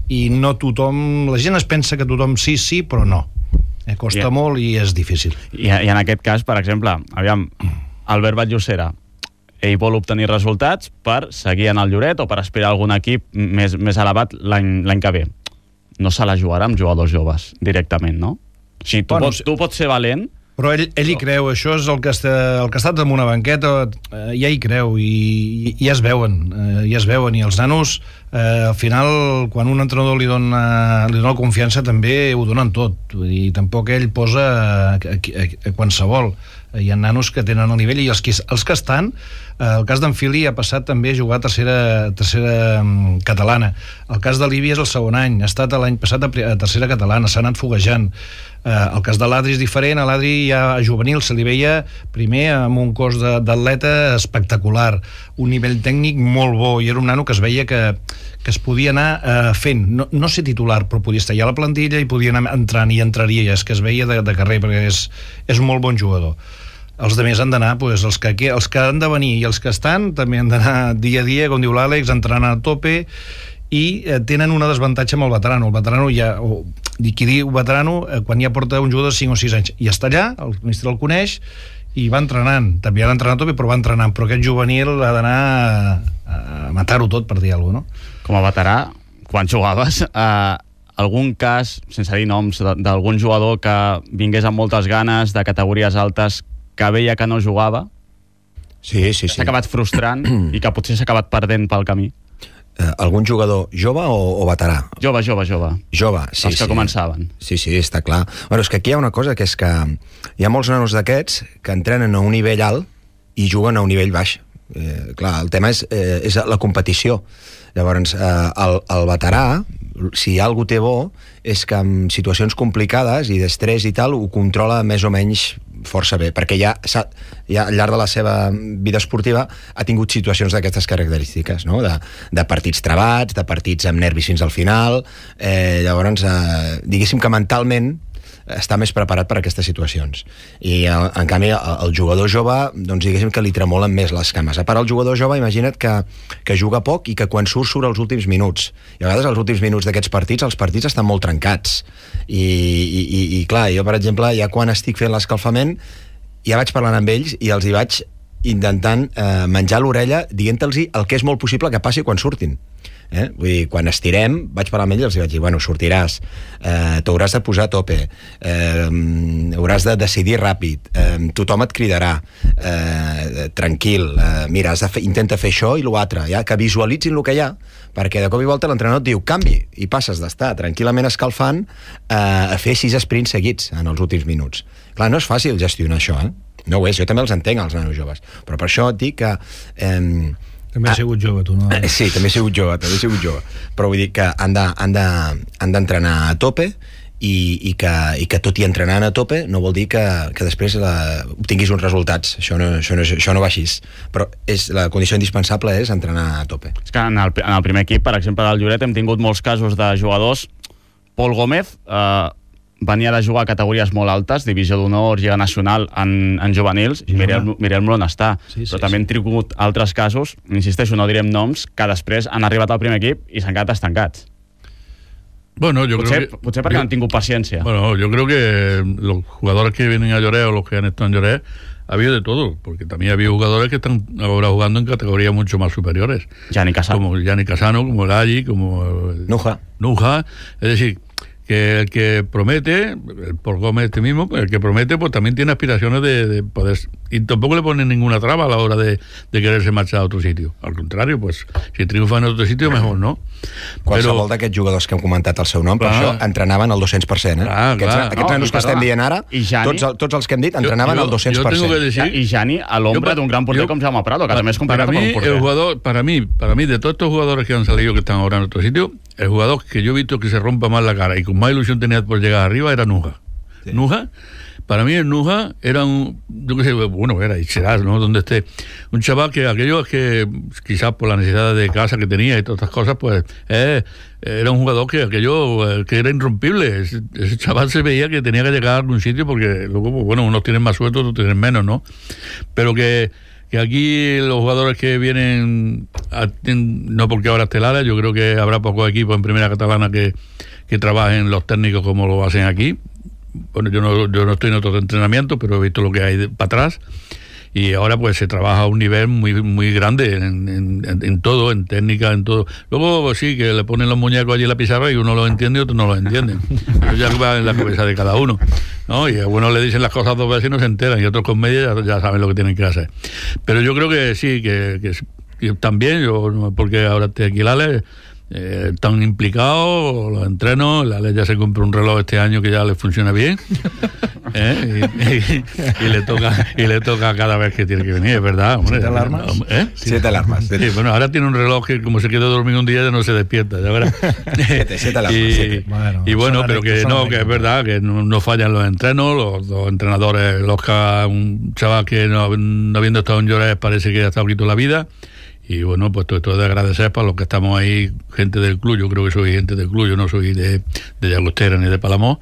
i no tothom, la gent es pensa que tothom sí, però no. Costa molt i és difícil. I en aquest cas, per exemple, aviam, Albert Vallosera, ell vol obtenir resultats per seguir en el Lloret o per aspirar a algun equip més elevat l'any que ve. No se la jugarà amb jugadors joves directament, no? O sigui, tu pots ser valent, però ell hi creu, això és el que ha estat en una banqueta, ja hi creu, i ja es veuen, i els nanos, al final, quan un entrenador li dona confiança, també ho donen tot, i tampoc ell posa qualsevol. Hi ha nanos que tenen el nivell, i els que estan, el cas d'en Fili ha passat també a jugar a tercera catalana, el cas de l'Ibi és el segon any, ha estat l'any passat a tercera catalana, s'ha anat foguejant. El cas de l'Adri és diferent. A l'Adri ja a juvenil se li veia primer amb un cos d'atleta espectacular, un nivell tècnic molt bo, i era un nano que es veia que es podia anar fent, no ser titular, però podia estar ja a la plantilla i podia anar entrant i entraria, és que es veia de carrer, perquè és un molt bon jugador. Els altres han d'anar, els que han de venir i els que estan també han d'anar dia a dia, com diu l'Àlex, entrenant a tope, i tenen una desavantatge amb el veterano. El veterano ja, qui diu veterano, quan ja porta un jugador de 5 o 6 anys, i està allà, el ministre el coneix, i va entrenant, també ha d'entrenar a tope, però va entrenant, però aquest juvenil ha d'anar a matar-ho tot, per dir alguna cosa, no? Com a veterà, quan jugaves, algun cas, sense dir noms, d'algun jugador que vingués amb moltes ganes, de categories altes, que veia que no jugava, sí. s'ha acabat frustrant i que potser s'ha acabat perdent pel camí? Algun jugador jove o veterà? Jove, sí. Els que començaven. Sí, està clar. Bueno, és que aquí hi ha una cosa, que és que hi ha molts nanos d'aquests que entrenen a un nivell alt i juguen a un nivell baix. Clar, el tema és la competició. Llavors, el veterà, si algú té bo, és que en situacions complicades i d'estrès i tal, ho controla més o menys força bé, perquè ja al llarg de la seva vida esportiva ha tingut situacions d'aquestes característiques, no? De partits trebats, de partits amb nervis fins al final. Llavors, diguéssim que mentalment està més preparat per a aquestes situacions. I en canvi el jugador jove, doncs diguéssim que li tremolen més les cames. A part, el jugador jove, imagina't que juga poc i que quan surt als últims minuts, i a vegades els últims minuts d'aquests partits, els partits estan molt trencats i clar, jo per exemple ja quan estic fent l'escalfament ja vaig parlant amb ells i els hi vaig intentant menjar l'orella dient-los el que és molt possible que passi quan surtin. Vull dir, quan estirem vaig parlar amb ell i els vaig dir, bueno, sortiràs, t'hauràs de posar a tope, hauràs de decidir ràpid, tothom et cridarà, tranquil, mira, intenta fer això i l'altre, ja, que visualitzin el que hi ha, perquè de cop i volta l'entrenador et diu canvi, i passes d'estar tranquil·lament escalfant a fer 6 sprints seguits en els últims minuts. Clar, no és fàcil gestionar això, no ho és, jo també els entenc, els nanos joves, però per això et dic que també has sigut jove, tu, no? Sí, també he sigut jove. Però vull dir que han d'entrenar a tope i que tot i entrenant a tope no vol dir que després obtinguis uns resultats. Això no va així. Però la condició indispensable és entrenar a tope. És que en el primer equip, per exemple, del Lloret, hem tingut molts casos de jugadors. Pol Gómez venia de jugar a categories molt altes, divisió d'honor, Lliga Nacional en juvenils, i mirem-lo on està. Però també hem tingut altres casos, insisteixo, no direm noms, que després han arribat al primer equip i s'han quedat estancats. Bueno, potser porque no han tingut paciencia. Bueno, yo creo que los jugadores que vienen a Lloret o los que han estado en Lloret ha habido de todo, porque también ha habido jugadores que están ahora jugando en categorías mucho más superiores. Gianni Casano. Como Gianni Casano, como el Aggi, como Nuja. Es decir, que el que promete, el Pol Gómez mismo, el que promete, pues también tiene aspiraciones de poder, y tampoco le ponen ninguna traba a la hora de quererse marchar a otro sitio. Al contrario, pues si triunfa en otro sitio, mejor, no? Qualsevol d'aquests jugadors que hem comentat el seu nom, per això entrenaven al 200%, Aquests nanos que estem dient ara, tots els que hem dit, entrenaven al 200%. Y Gianni, al hombre de un gran portero como Jaume Prado, que también es complicado con un portero. Para mí, de todos estos jugadores que han salido, que están ahora en otro sitio, el jugador que yo he visto que se rompa más la cara y con más ilusión tenía por llegar arriba era Nuja. Sí. Nuja, para mí el Nuja era era y será, ¿no? Donde esté, un chaval que aquellos que quizás por la necesidad de casa que tenía y todas estas cosas, pues era un jugador que era irrompible. Ese chaval se veía que tenía que llegar a algún sitio, porque luego, pues, bueno, unos tienen más suerte, otros tienen menos, ¿no? Pero que aquí los jugadores que vienen, no porque ahora esté Lara, yo creo que habrá pocos equipos en primera catalana que trabajen los técnicos como lo hacen aquí. Bueno, yo no estoy en otros entrenamientos, pero he visto lo que hay para atrás, y ahora pues se trabaja a un nivel muy, muy grande en todo, en técnica, en todo. Luego pues, sí, que le ponen los muñecos allí en la pizarra y uno los entiende y otros no los entienden. Eso ya va en la cabeza de cada uno, ¿no? Y a uno le dicen las cosas 2 veces y no se enteran, y otros con media ya saben lo que tienen que hacer. Pero yo creo que sí, que también, yo porque ahora estoy aquí, están implicados, los entrenos. La ley ya se compró un reloj este año que ya le funciona bien, y le toca cada vez que tiene que venir, es verdad, hombre. 7 alarmas. 7 alarmas. Sí, bueno, ahora tiene un reloj que como se queda dormido un día ya no se despierta, ya verás. 7 alarmas. Y bueno, pero que no, que es verdad que no fallan los entrenos, los entrenadores, un chaval que no habiendo estado en Lloret parece que ha estado aquí toda la vida. Y bueno, pues todo esto es de agradecer para los que estamos ahí, gente del club. Yo creo que soy gente del club, yo no soy de Llagostera ni de Palamós,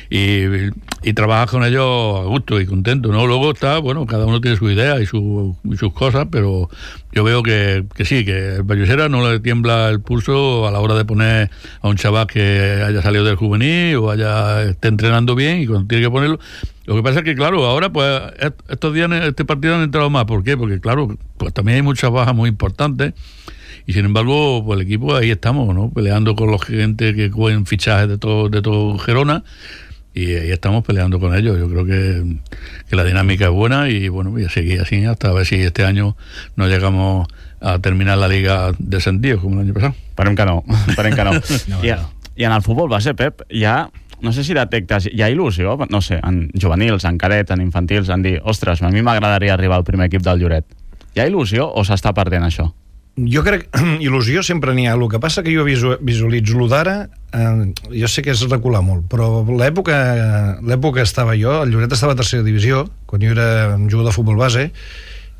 y trabajas con ellos a gusto y contento, ¿no? Luego está, bueno, cada uno tiene su idea y sus cosas, pero yo veo que sí, que el Vallesera no le tiembla el pulso a la hora de poner a un chaval que haya salido del juvenil o esté entrenando bien, y cuando tiene que ponerlo. Lo que pasa es que, claro, ahora pues estos días este partido han entrado más. ¿Por qué? Porque, claro, pues también hay muchas bajas muy importantes, y sin embargo, pues el equipo ahí estamos, ¿no? Peleando con los gente que cogen fichajes de todo Gerona, y ahí estamos peleando con ellos. Yo creo que la dinámica es buena, y bueno, voy a seguir así hasta a ver si este año no llegamos a terminar la Liga descendidos como el año pasado. Esperem que no. I en el futbol base, Pep, no sé si detectes, hi ha il·lusió, no sé, en juvenils, en cadet, en infantils, en dir, ostres, a mi m'agradaria arribar al primer equip del Lloret. Hi ha il·lusió o s'està perdent això? Jo crec que il·lusió sempre n'hi ha. El que passa que jo visualitzo d'ara, jo sé que és recular molt, però l'època estava jo, el Lloret estava a tercera divisió, quan jo era un jugador de futbol base,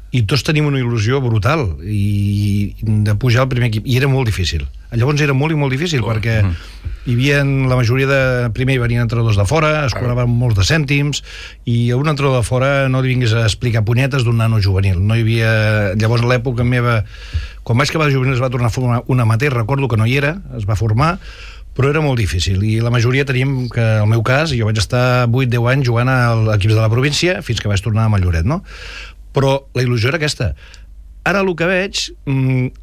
i tots tenim una il·lusió brutal de pujar al primer equip, i era molt difícil. Llavors era molt i molt difícil, perquè hi havia la majoria de... Primer hi venien entrenadors de fora, es cobraven molts de cèntims, i a un entrenador de fora no li vingués a explicar punyetes d'un nano juvenil. No hi havia... Llavors, a l'època meva, quan vaig acabar de juvenil es va tornar a formar un amateur, recordo que no hi era, es va formar, però era molt difícil, i la majoria teníem que, en el meu cas, jo vaig estar 8-10 anys jugant a equips de la província, fins que vaig tornar a Lloret, no? Però la il·lusió era aquesta. Ara el que veig,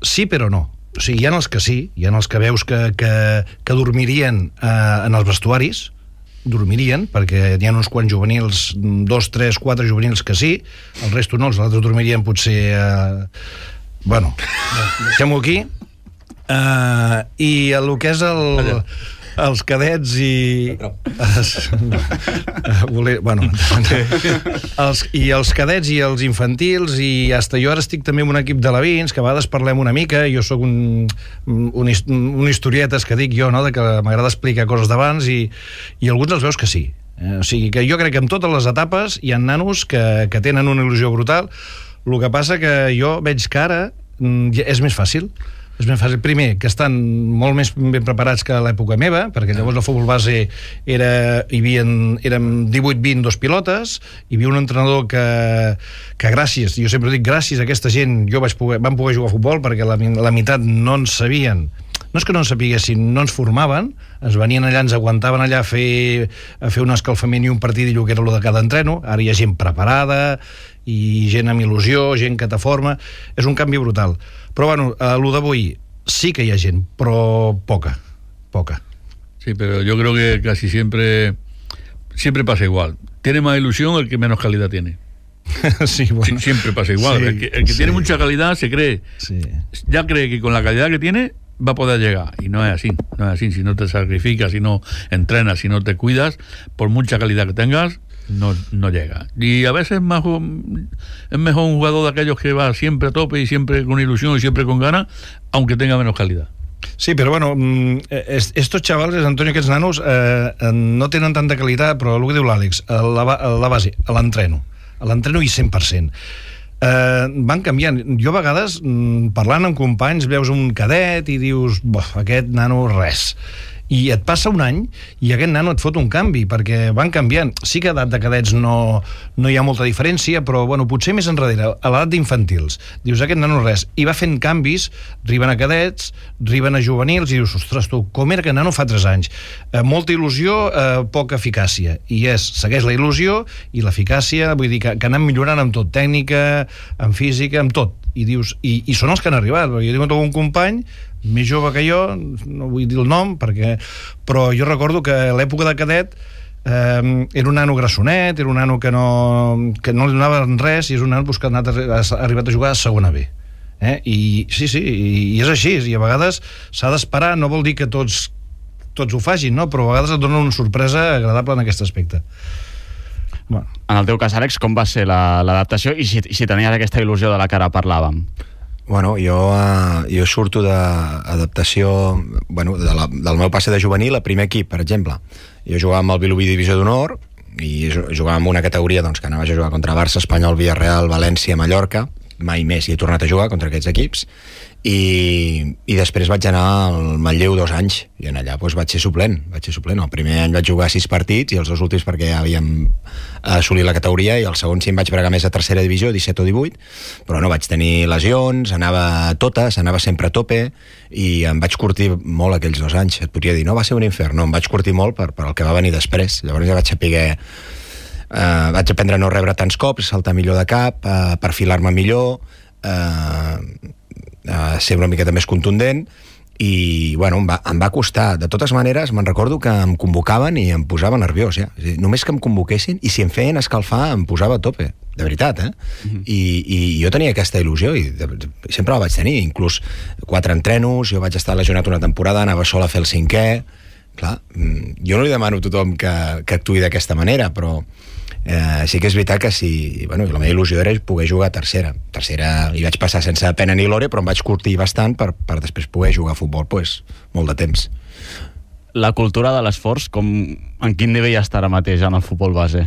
sí però no. O sigui, hi ha els que sí, hi ha els que veus que dormirien en els vestuaris, dormirien, perquè hi ha uns quants juvenils, 2, 3, 4 juvenils que sí, el resto no, els altres dormirien potser... Bueno, deixem-ho aquí. I el que és els cadets i... els cadets i els infantils, i hasta jo ara estic també en un equip d'alevins, que a vegades parlem una mica, jo sóc un historietes que dic jo, no?, de que m'agrada explicar coses d'abans, i alguns els veus que sí. O sigui, que jo crec que en totes les etapes hi ha nanos que tenen una il·lusió brutal. El que passa que jo veig que ara és més fàcil. És ben fàcil. Primer, que estan molt més ben preparats que a l'època meva, perquè llavors el futbol base érem 18-20 dos pilotes, hi havia un entrenador que gràcies, jo sempre dic gràcies a aquesta gent, vam poder jugar a futbol, perquè la meitat no en sabien, no és que no en sapiguessin, no ens formaven, ens venien allà, ens aguantaven allà a fer un escalfament i un partidillo que era el de cada entreno. Ara hi ha gent preparada i gent amb il·lusió, gent que te forma, és un canvi brutal. Però bueno, lo d'avui sí que hi ha gent, però poca. Sí, pero yo creo que casi siempre pasa igual. Tiene más ilusión el que menos calidad tiene. Sí, bueno. Siempre pasa igual. Sí, el que tiene mucha calidad se cree, ya cree que con la calidad que tiene va a poder llegar, y no es así. Si no te sacrificas, si no entrenas, si no te cuidas, por mucha calidad que tengas, no llega. Y a veces es mejor un jugador de aquellos que va siempre a tope y siempre con ilusión y siempre con ganas, aunque tenga menos calidad. Sí, però bueno, estos chavales, Antonio, aquests nanos no tenen tanta qualitat, però el que diu l'Àlex, la base, l'entreno i 100%. Van canviant. Jo a vegades, parlant amb companys, veus un cadet i dius, aquest nano res. I et passa un any i aquest nano et fot un canvi, perquè van canviant. Sí que a edat de cadets no hi ha molta diferència, però bueno, potser més enrere, a l'edat d'infantils, dius, aquest nano res, i va fent canvis, arriben a cadets, arriben a juvenils, i dius, ostres, tu, com era aquest nano fa 3 anys? Molta il·lusió, poca eficàcia, i segueix la il·lusió i l'eficàcia, vull dir que anem millorant amb tot, tècnica, amb física, amb tot, i dius, i són els que han arribat, perquè jo tinc un company més jove que jo, no vull dir el nom, però jo recordo que a l'època de cadet era un nano grassonet, era un nano que no li donava res, i és un nano que ha arribat a jugar a segona B. I sí, i és així, i a vegades s'ha d'esperar, no vol dir que tots ho facin, no? Però a vegades et donen una sorpresa agradable en aquest aspecte. Bueno. En el teu cas, Àlex, com va ser l'adaptació i si tenies aquesta il·lusió de la que ara parlàvem? Bueno, jo surto d'adaptació, del meu passe de juvenil a primer equip, per exemple. Jo jugava amb el Vilobí Divisió d'Honor i jugava en una categoria que anaves a jugar contra Barça, Espanyol, Villarreal, València, Mallorca. Mai més hi he tornat a jugar contra aquests equips i després vaig anar al Manlleu 2 anys i en allà vaig ser suplent. El primer any vaig jugar 6 partits i els 2 últims perquè ja havíem assolit la categoria i el segon sí em vaig bregar més a tercera divisió, 17 o 18, però no, vaig tenir lesions, anava a totes, anava sempre a tope i em vaig curtir molt aquells 2 anys. Et podria dir, no, va ser un infern, no, em vaig curtir molt per el que va venir després. Llavors ja vaig saber vaig aprendre a no rebre tants cops, saltar millor de cap, perfilar-me millor, ser una miqueta més contundent i, bueno, em va costar. De totes maneres, me'n recordo que em convocaven i em posava nerviós, ja. Només que em convoquessin i si em feien escalfar em posava a tope, de veritat, I jo tenia aquesta il·lusió i sempre la vaig tenir, inclús 4 entrenos, jo vaig estar lesionat una temporada, anava sol a fer el 5è. Clar, jo no li demano a tothom que actuï d'aquesta manera, però sí que és veritat que la meva il·lusió era poder jugar a tercera hi vaig passar sense pena ni glòria, però em vaig curtir bastant per després poder jugar a futbol molt de temps. La cultura de l'esforç, en quin nivell està ara mateix en el futbol base?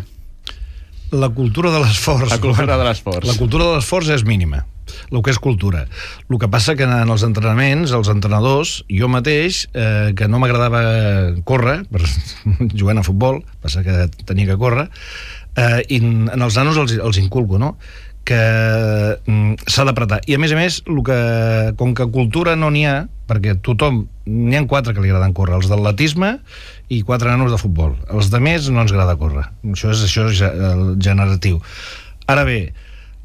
La cultura de l'esforç La cultura de l'esforç és mínima, el que és cultura. El que passa que en els entrenaments, els entrenadors, jo mateix, que no m'agradava córrer jugant a futbol, passa que tenia que córrer, i en els nanos els inculco, no? Que s'ha d'apretar. I a més, com que cultura no n'hi ha, perquè n'hi ha 4 que li agraden córrer, els d'atletisme i 4 nanos de futbol. Els de més no ens agrada córrer. Això és generatiu. Ara bé,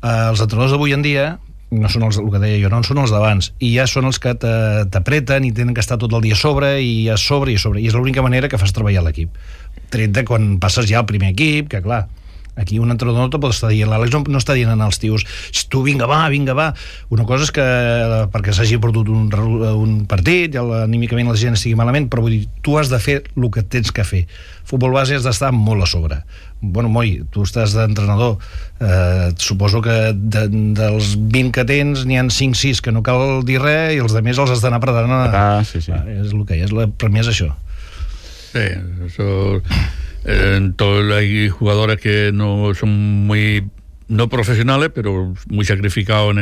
els entrenadors d'avui en dia no són el que deia jo, no són els d'abans, i ja són els que t'apreten i tenen que estar tot el dia a sobre, i és l'única manera que fas treballar l'equip, tret de quan passes ja al primer equip, que clar, aquí un entrenador no te pot estar dient, l'Àlex no està dient als tios, tu vinga va, una cosa és que perquè s'hagi perdut un partit i anímicament la gent estigui malament, però vull dir, tu has de fer el que tens que fer. Futbol base has d'estar molt a sobre. Bueno, Moi, tu estàs d'entrenador, suposo que dels 20 que tens n'hi ha 5-6 que no cal dir res i els altres els has d'anar apretant. Sí. És el que és, per mi és això. Sí, eso... hay jugadores que no son muy no profesionales, pero muy sacrificados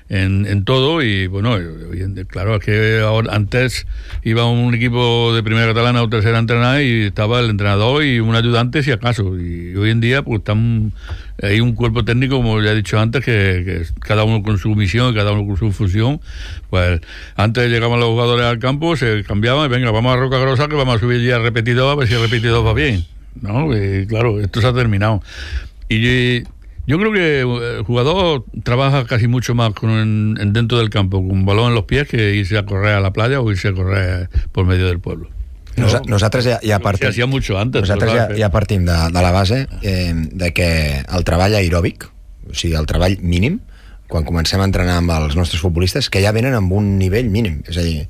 en todo, y bueno, claro, es que ahora, antes iba un equipo de primera catalana o tercera a entrenar y estaba el entrenador y un ayudante si acaso, y hoy en día pues hay un cuerpo técnico, como ya he dicho antes, que cada uno con su misión, cada uno con su función. Pues antes llegaban los jugadores al campo, se cambiaban y venga, vamos a Roca Grosa que vamos a subir ya repetidor a ver si el repetidor va bien, ¿no? Y claro, esto se ha terminado. Y yo creo que el jugador trabaja casi mucho más dentro del campo, con un balón en los pies, que irse a correr a la playa o irse a correr por medio del pueblo. Nosaltres ja partim... Se hacía mucho antes. Nosaltres ja partim de la base de que el treball aeròbic, o sigui, el treball mínim, quan comencem a entrenar amb els nostres futbolistes, que ja venen amb un nivell mínim. És a dir,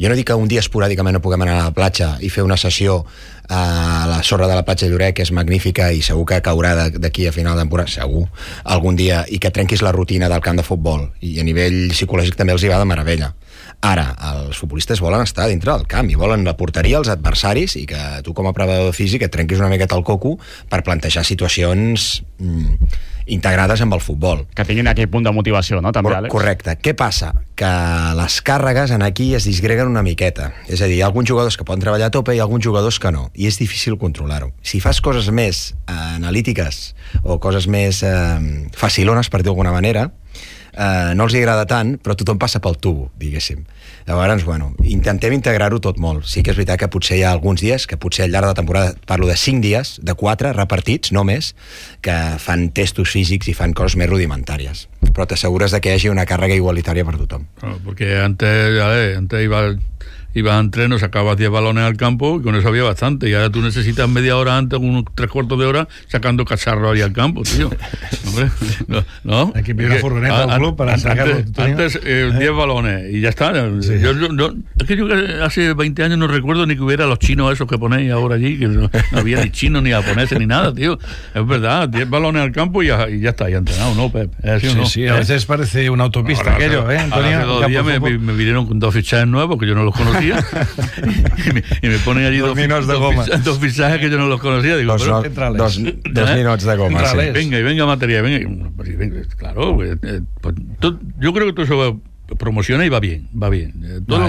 jo no dic que un dia esporàdicament no puguem anar a la platja i fer una sessió a la sorra de la platja de Lloret, que és magnífica i segur que caurà d'aquí a final de temporada, segur, algun dia, i que trenquis la rutina del camp de futbol, i a nivell psicològic també els hi va de meravella. Ara, els futbolistes volen estar dintre del camp i volen la porteria als adversaris, i que tu com a preparador físic et trenquis una miqueta el coco per plantejar situacions integrades amb el futbol. Que tinguin aquell punt de motivació, no? També, Àlex? Correcte. Què passa? Que les càrregues en aquí es disgreguen una miqueta. És a dir, hi ha alguns jugadors que poden treballar a tope i alguns jugadors que no. I és difícil controlar-ho. Si fas coses més analítiques o coses més facilones, per dir d'alguna manera, no els hi agrada tant, però tothom passa pel tubo, diguéssim. Llavors, bueno, intentem integrar-ho tot molt. Sí que és veritat que potser hi ha alguns dies, que potser al llarg de la temporada, parlo de 5 dies, de 4 repartits, no més, que fan testos físics i fan coses més rudimentàries. Però t'assegures de que hi hagi una càrrega igualitària per tothom. Porque antes iba ibas a entreno, sacabas 10 balones al campo y con eso había bastante. Y ahora tú necesitas media hora antes, unos 3/4 de hora, sacando cacharros ahí al campo, tío. Hombre, no. Hay que pedir una furgoneta al club para sacarlo. Antes 10 balones y ya está. Sí. Es que yo hace 20 años no recuerdo ni que hubiera los chinos esos que ponéis ahora allí, que no había ni chinos, ni japoneses, ni nada, tío. Es verdad, 10 balones al campo y ya está, ya entrenado, ¿no, Pep? Sí, a veces parece una autopista aquello, Antonio. Hace 2 días me vinieron con 2 fichajes nuevos que yo no los conocía y me ponen allí 2 fichajes que yo no los conocía. Digo, dos minutos de goma. Sí. Venga materia, venga. Claro, pues, yo creo que todo eso promociona y va bien. Todo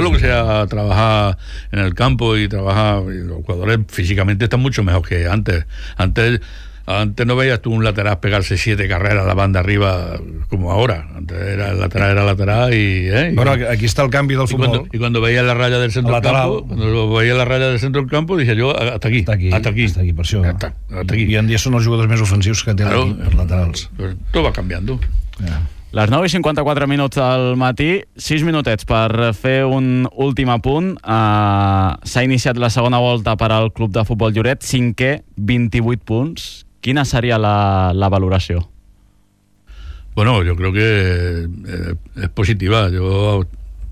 lo que sea trabajar en el campo y trabajar, los jugadores físicamente están mucho mejor que antes. Antes no veías tú un lateral pegarse 7 carreras a la banda arriba como ahora. Antes el lateral y... Bueno, aquí está el cambio del fútbol. Y cuando veías la raya del centro del campo, decía yo, hasta aquí, per això. Hasta aquí. I en dia són els jugadors més ofensius que té l'equip, els laterals. Tot va canviando. Les 9:54 del matí, 6 minutets per fer un últim apunt. S'ha iniciat la segona volta per al Club de Futbol Lloret, 5è, 28 punts. Quina sería la valoración? Bueno, yo creo que es positiva. Yo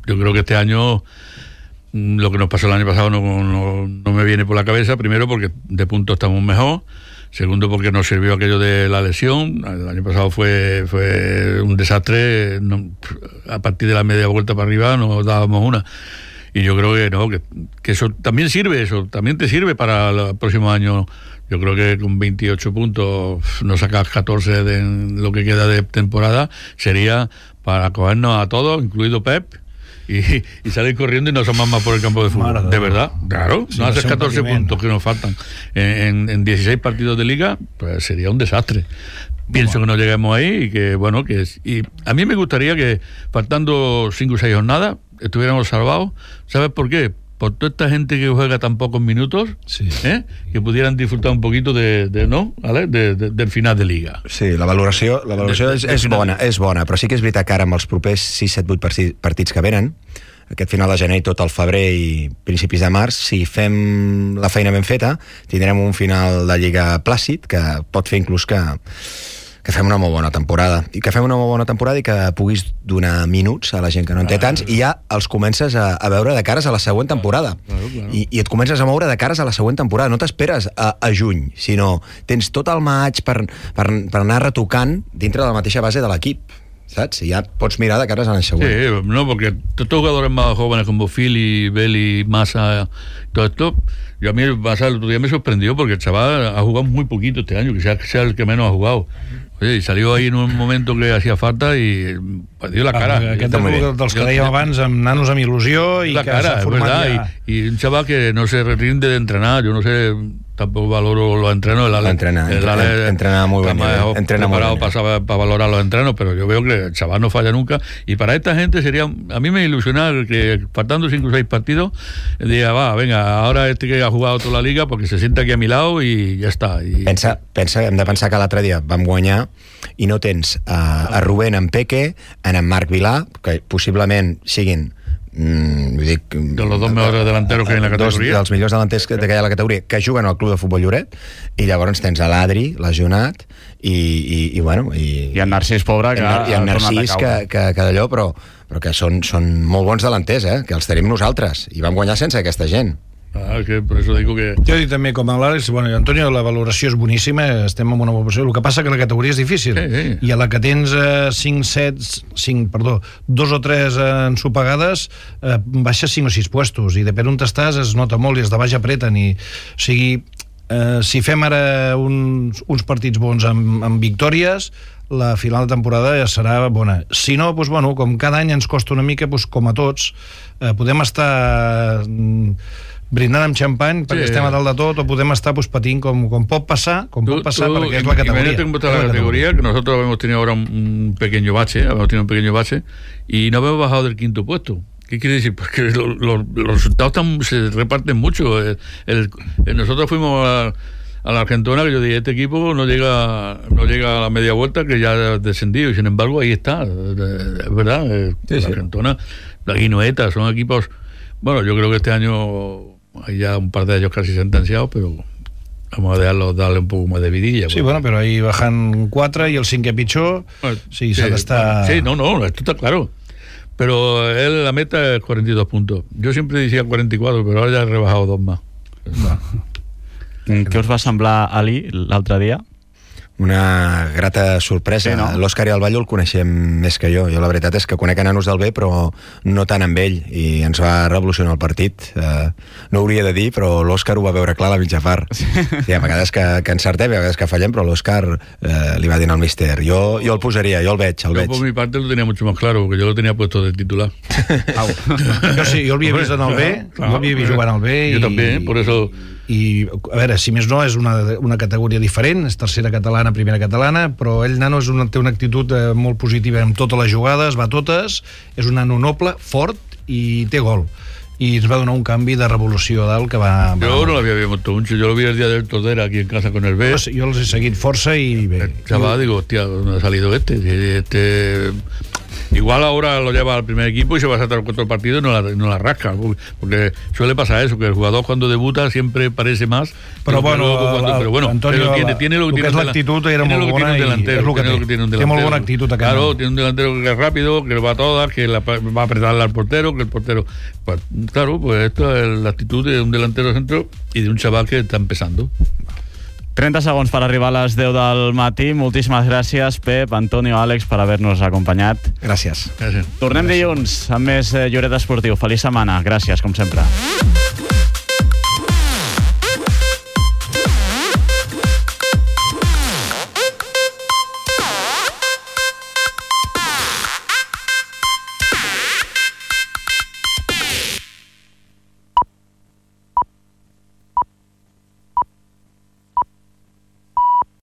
creo que este año lo que nos pasó el año pasado no me viene por la cabeza. Primero porque de puntos estamos mejor. Segundo porque nos sirvió aquello de la lesión. El año pasado fue un desastre. A partir de la media vuelta para arriba nos dábamos una. Y yo creo que eso también sirve, también te sirve para el próximo año. Yo creo que con 28 puntos no sacas 14 de lo que queda de temporada, sería para cogernos a todos, incluido Pep, y salir corriendo y no asomar más por el campo de fútbol. De verdad, claro. Sí, no haces 14 puntos que nos faltan en 16 partidos de liga, pues sería un desastre. Pienso que no lleguemos ahí y que, bueno, y a mí me gustaría que faltando 5 o 6 jornadas estuviéramos salvados. ¿Sabes por qué? Por toda esta gente que juega tan pocos minutos, que pudieran disfrutar un poquito del final de liga. Sí, la valoració és bona, però sí que és veritat que ara amb els propers 6, 7, 8 partits que venen, aquest final de gener i tot el febrer i principis de març, si fem la feina ben feta, tindrem un final de lliga plàcid que pot fer inclús que fem una molt bona temporada i que puguis donar minuts a la gent que no en té tants i ja els comences a veure de cares a la següent temporada. Claro. I et comences a moure de cares a la següent temporada. No t'esperes a juny, sinó tens tot el maig per anar retocant dintre de la mateixa base de l'equip, saps? I ja pots mirar de cares a l'any següent. Sí, no, porque estos jugadores más jóvenes como Phil, Beli, Massa, todo esto, yo a mí Massa el otro día me sorprendió porque el chaval ha jugado muy poquito este año, que sea el que menos ha jugado. Oye, i salió ahí en un momento que hacía falta i dio la cara. Aquest és dels que dèiem abans, amb nanos amb il·lusió i la que s'ha format ja. Y un chaval que no se rinde de entrenar, yo no sé, tampoco valoro los entrenos. Entrena muy bien. Entrena preparado para valorar los entrenos, pero yo veo que el chaval no falla nunca. Y para esta gente sería, a mí me ilusiona que faltando 5 o 6 partidos, diga, venga, ahora este que ha jugado toda la liga, porque se sienta aquí a mi lado y ya está. Pensa, hem de pensar que l'altre dia vam guanyar i no tens a Rubén, en Peque, en Marc Vilà, que possiblement siguin de los 2 mejores delanteros que hay en la categoria, dels millors delanters que hi ha a la categoria, que juguen al Club de Futbol Lloret, i llavors tens a l'Adri, lesionat, i el Narcís, pobre, i el Narcís, que d'allò, però que són molt bons delanters, que els tenim nosaltres, i vam guanyar sense aquesta gent. Que por eso digo que... Jo dic també, com a l'Àlex, Antonio, la valoració és boníssima, estem en una valoració, el que passa que la categoria és difícil, i a la que tens 2 o 3 ensopegades, baixes 5 o 6 puestos, i depèn on estàs es nota molt, i els de baix apreten, o sigui, si fem ara uns partits bons amb victòries, la final de temporada ja serà bona. Si no, com cada any ens costa una mica, com a tots, podem estar brindant amb xampany perquè estem a dalt de tot, o podem estar patint com pot passar, perquè és la categoría. La categoría, que nosotros hemos tenido ahora un pequeño bache, y no hemos bajado del 5º puesto. ¿Qué quiere decir? Porque los resultados se reparten mucho. Nosotros fuimos a la Argentona, que yo dije, este equipo no llega a la media vuelta, que ya ha descendido, y sin embargo ahí está, es verdad. La Argentona, la Guinoeta, son equipos Bueno, yo creo que este año hay ya un par de ellos casi sentenciados, pero vamos a darle un poco más de vidilla. Sí, bueno, pero ahí bajan 4 y el 5 pitjor, sí, s'ha d'estar... Sí, no, esto está claro. Pero la meta es 42 puntos. Yo siempre decía 44, pero ahora ya he rebajado 2 más. Què us va semblar Ali l'altre dia? Una grata sorpresa. Sí, no? L'Òscar i el Ballo el coneixem més que jo. Jo la veritat és que conec a nanos del B, però no tant amb ell, i ens va revolucionar el partit. No hauria de dir, però l'Òscar ho va veure clar a la mitja part. Sí, a vegades que encertem, a vegades que fallem, però l'Òscar li va dir al míster, jo el posaria, jo el veig. Yo por mi parte lo tenía mucho más claro, porque yo lo tenía puesto de titular. Jo sí, jo l'havia vist en el B, jo l'havia vist jugant al B. Jo també, por eso... I, a veure, si més no, és una categoria diferent, és tercera catalana, primera catalana, però ell, nano, té una actitud molt positiva en totes les jugades, va a totes, és un nano noble, fort i té gol. Y ens va donar un canvi de revolució dalt que va... Yo no l'havia visto mucho, yo lo vi el día del Tordera aquí en casa con el B. Pues yo los he seguido força y... El chaval, digo, hostia, ¿dónde ha salido este? Igual ahora lo lleva al primer equipo y se va a saltar contra el partido y no la rasca, porque suele pasar eso, que el jugador cuando debuta siempre parece más, pero bueno, Antonio, tiene lo que és l'actitud era molt bona i és el que té molt bona actitud. Claro, tiene un delantero que es rápido, que va a todas, que va a apretarle al portero, que el portero... Pues, claro, pues esto es la actitud de un delantero centro y de un chaval que está empezando. 30 segons per arribar a les 10 del matí. Moltíssimes gràcies, Pep, Antonio, Àlex, per haver-nos acompanyat. Gràcies. Tornem dilluns amb més Lloret Esportiu. Feliç setmana. Gràcies, com sempre.